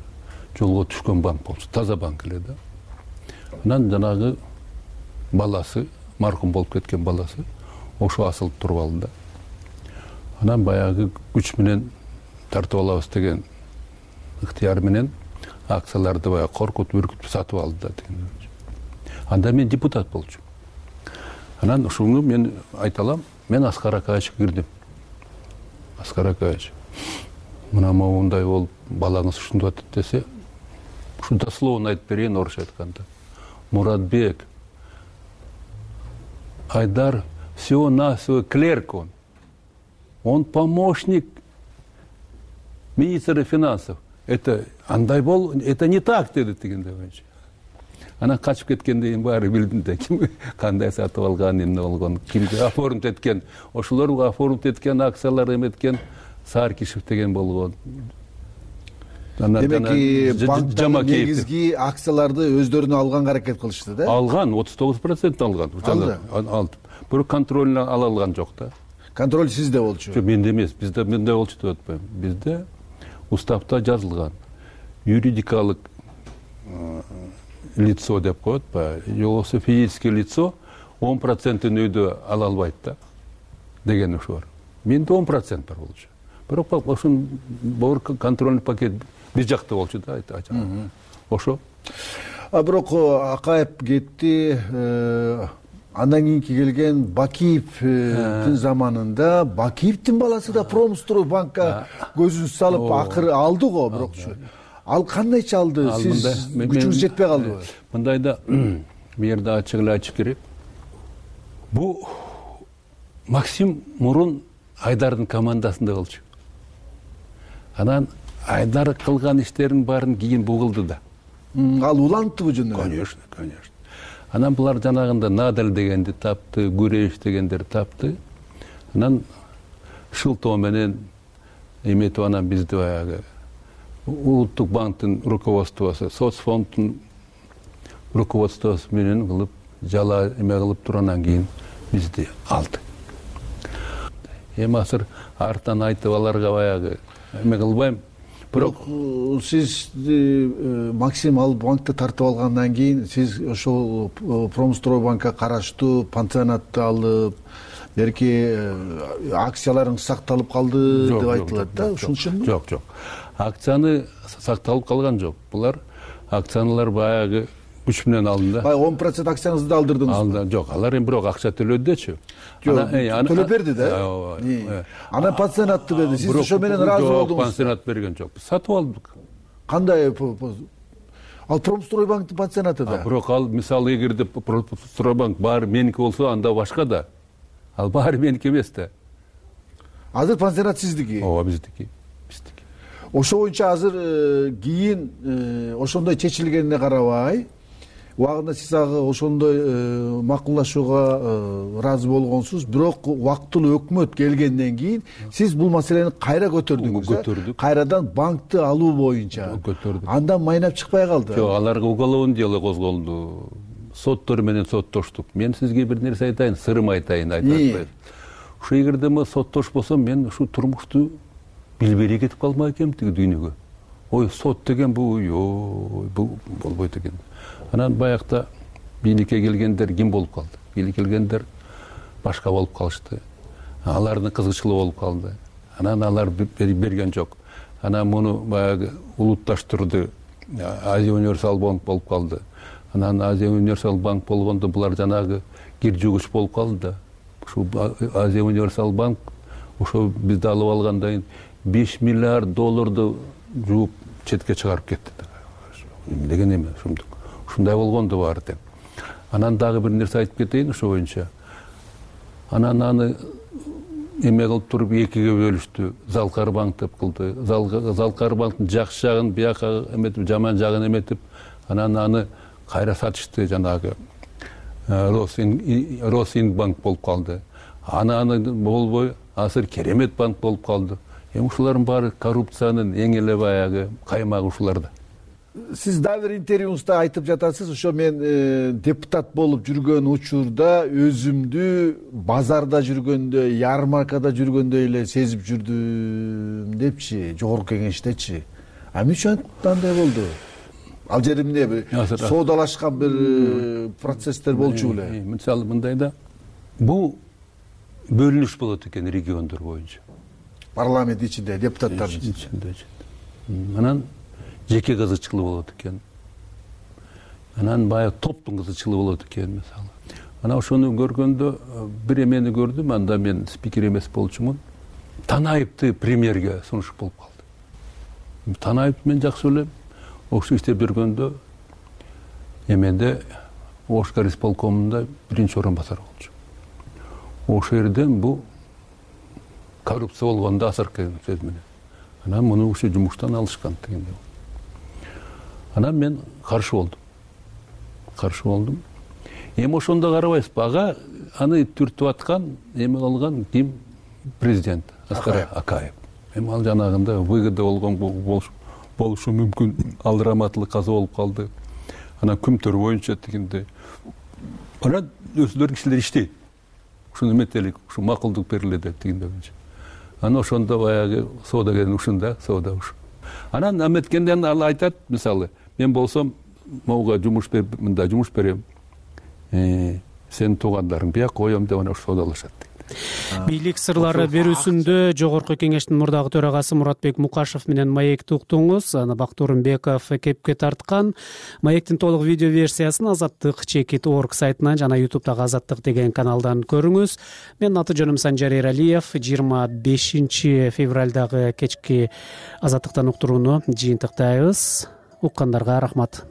жолго түшкөн банк болчу, таза банк эле да. Анан жанагы баласы, маркум болуп кеткен баласы, ошо асылып туруп алды да. Анан баягы күч менен тартып алабыз деген ыктыяр менен акцияларды баягы коркутуп, үркүтүп сатып алды да деген. Анда мен депутат болчумун. Анан ушуну мен айта алам, мен Аскар Акаевичке кирдим. Аскар Акаевич, мына моундай болуп балаңыз ушинтип атат десе, ушу дословно айтып берейин орусча айтканда. Муратбек Айдар всего-навсего клерк он. Он помощник министра финансов. Это андай бол, это не так деди дегенде боюнча. Анан качып кеткенден кийин баары билдим да, ким кандай сатып алган, эмне болгон, кимге оформить эткен, ошолор оформить эткен акциялар эметкен Саркишев деген болгон. Демек банктын негизги акцияларды өздөрүнө алганга аракет кылышты да? Алган, отуз тогуз процент алган. Алды. Бирок контролун ала алган жок да. Контроль сизде болчу? Жок, менде эмес. Бизде менде болчу деп атпайм. Бизде уставда жазылган. Юридикалык лицо деп коет атпайбы? Жоксо физическое лицо он процентин өйдө ала албайт да деген ушу бар. Менде он процент бар болчу. Бирок ошон боор контрольный пакет бир жакта болчу да, айтачак. Ошо. А бирок Акаев кетти, андан кийинки келген Бакиевдин заманында Бакиевдин баласы да Промстрой банкка көзүн салып акыры алды го, бирокчу. Ал кандайча алды? Сиз күчүңүз жетпей калдыбы? Мындайда бул жерде ачык эле айтыш керек. Бу Максим мурун Айдардын командасында болчу. Анан Айдар кылган иштерин баарын кийин бугулду да. Ал улантыбы жөнүндө? Конечно, конечно. Анан булар жанагында Надаль дегенди тапты, Гуревич дегендер тапты. Анан Шылтоо менен эметип анан бизди баягы Улуттук банктын руководствосу, соцфонддун руководствосу менен кылып жала эме кылып турандан кийин бизди алды. Эми азыр артан айтып аларга баягы эме кылбайм. Бирок сиз Максим ал банкты тартып алгандан кийин сиз ошол Промстройбанкка караштуу пансионатты алып, берки акцияларың сакталып калды деп айтылат да, ушун үчүнбү? Жок, жок. Акцияны сакталып калган жок. Булар акциялар баягы күч менен алынды. Бай он процент акцияңызды алдырдыңыз. Алды, жок. Алар эми бирок акча төлөдүчү. Төлөп берди да. Анан пансионатты берди. Сиз ошо менен ыраазы болдуңуз. Пансионат берген жок. Сатып алдык. Кандай? Ал Промстройбанктын пансионаты да. Бирок ал мисалы эгерде Промстройбанк баары меники болсо, анда башка да. Ал баары меники эмес да. Азыр пансионат сиздики? Ооба, биздики. Биздики. Ошо боюнча азыр кийин ошондой чечилгенине карабай, убагында сиз ага ошондой макулдашууга ыраазы болгонсуз, бирок убактылуу өкмөт келгенден кийин сиз бул маселени кайра көтөрдүңүз. Көтөрдүк. Кайрадан банкты алуу боюнча. Көтөрдүк. Андан майнап чыкпай калды. Жок, аларга уголовный дело козголду. Соттор менен соттоштук. Мен сизге бир нерсе айтайын, сырым айтайын, айтып атпайм. Ушу эгерде мен соттош болсом, мен ушу турмушту билбей кетип калмак экенмин тиги дүйнөгө. Ой, сот деген бул, ой, бул болбойт экен. Анан баягыда бийликке келгендер ким болуп калды? Бийликке келгендер башка болуп калышты. Алардын кызыкчылыгы болуп калды. Анан алар берген жок. Анан муну баягы улутташтырды. Азия универсал банк болуп калды. Анан Азия универсал банк болгондо булар жанагы кир жугуч болуп калды да. Ушу Азия универсал банк ошо бизди алып алгандан кийин беш миллиард долларды жууп четке чыгарып кетти. Эмнеген эме ушундук. Ушундай болгонду баары тең. Анан дагы бир нерсе айтып кетейин ошо боюнча. Анан аны эме кылып туруп экиге бөлүштү. Залкар банк деп кылды. Залкар банктын жакшы жагын бияка эметип, жаман жагын эметип, анан аны кайра сатышты, жанагы Росинбанк болуп калды. Анан болбой азыр Керемет банк болуп калды. Эми ушулардын баары коррупциянын эң эле баягы каймагы ушуларда. Сиз дагы бир интервьюңузда айтып жатасыз, ошо мен депутат болуп жүргөн учурда өзүмдү базарда жүргөндө, ярмаркада жүргөндөй эле сезип жүрдүм депчи, жогорку кеңештечи. А эмне үчүн андай болду? Ал жери эмне соодалашкан бир процесстер болчу беле? Мисалы мындайда, бул бөлүнүш болот экен региондор боюнча. Парламент ичинде, депутаттардын ичинде. Анан жеке кызыкчылык болот экен. Анан баягы топтун кызыкчылыгы болот экен, мисалы. Анан ошону көргөндө бир эмени көрдүм, анда мен спикер эмес болчумун. Танаевди премьерге сунуш болуп калды. Танаевди мен жакшы билем. ошо иштеп жүргөндө эменде ош горисполкомунда биринчи орун басар болчу. Ошол жерден бул коррупция болгондо азыркы сөз менен анан муну ушу жумуштан алышкан дегенде. Анан мен каршы болдум. Каршы болдум. Эми ошондо карабайсызбы, ага аны түртүп аткан, эме кылган ким? Президент Аскар Акаев. Эми ал жанагында выгода болгон болушу мүмкүн, ал раматылык каза болуп калды. Анан күмтөр боюнча дегенде анан өзүлөрүнүн кишилери иштейт. Ушуну эметелик, ушу макулдук бериле деп дегенде боюнча. Анан ошондо баягы соодагердин ушунда, соода ушу. Анан эметкенден ал айтат, мисалы, мен болсом могуга жумуш берип, мындай жумуш берем. Э, сенин туугандарың бияк коем деп анан соодалашат. Бийлик сырлары берүүсүндө Жогорку Кеңештин мурдагы төрагасы Муратбек Мукашев менен Маекти уктуңуз. Аны Бактуурмбеков кепке тарткан. Маектин толук видео версиясын Азаттык чекит точка орг сайтынан жана ютубтагы Азаттык деген каналдан көрүңүз. Менин аты жөнүм Санжар Эралиев. жыйырма бешинчи февралдагы кечки Азаттыктан уктурууну жыйынтыктайбыз. Уккандарга рахмат.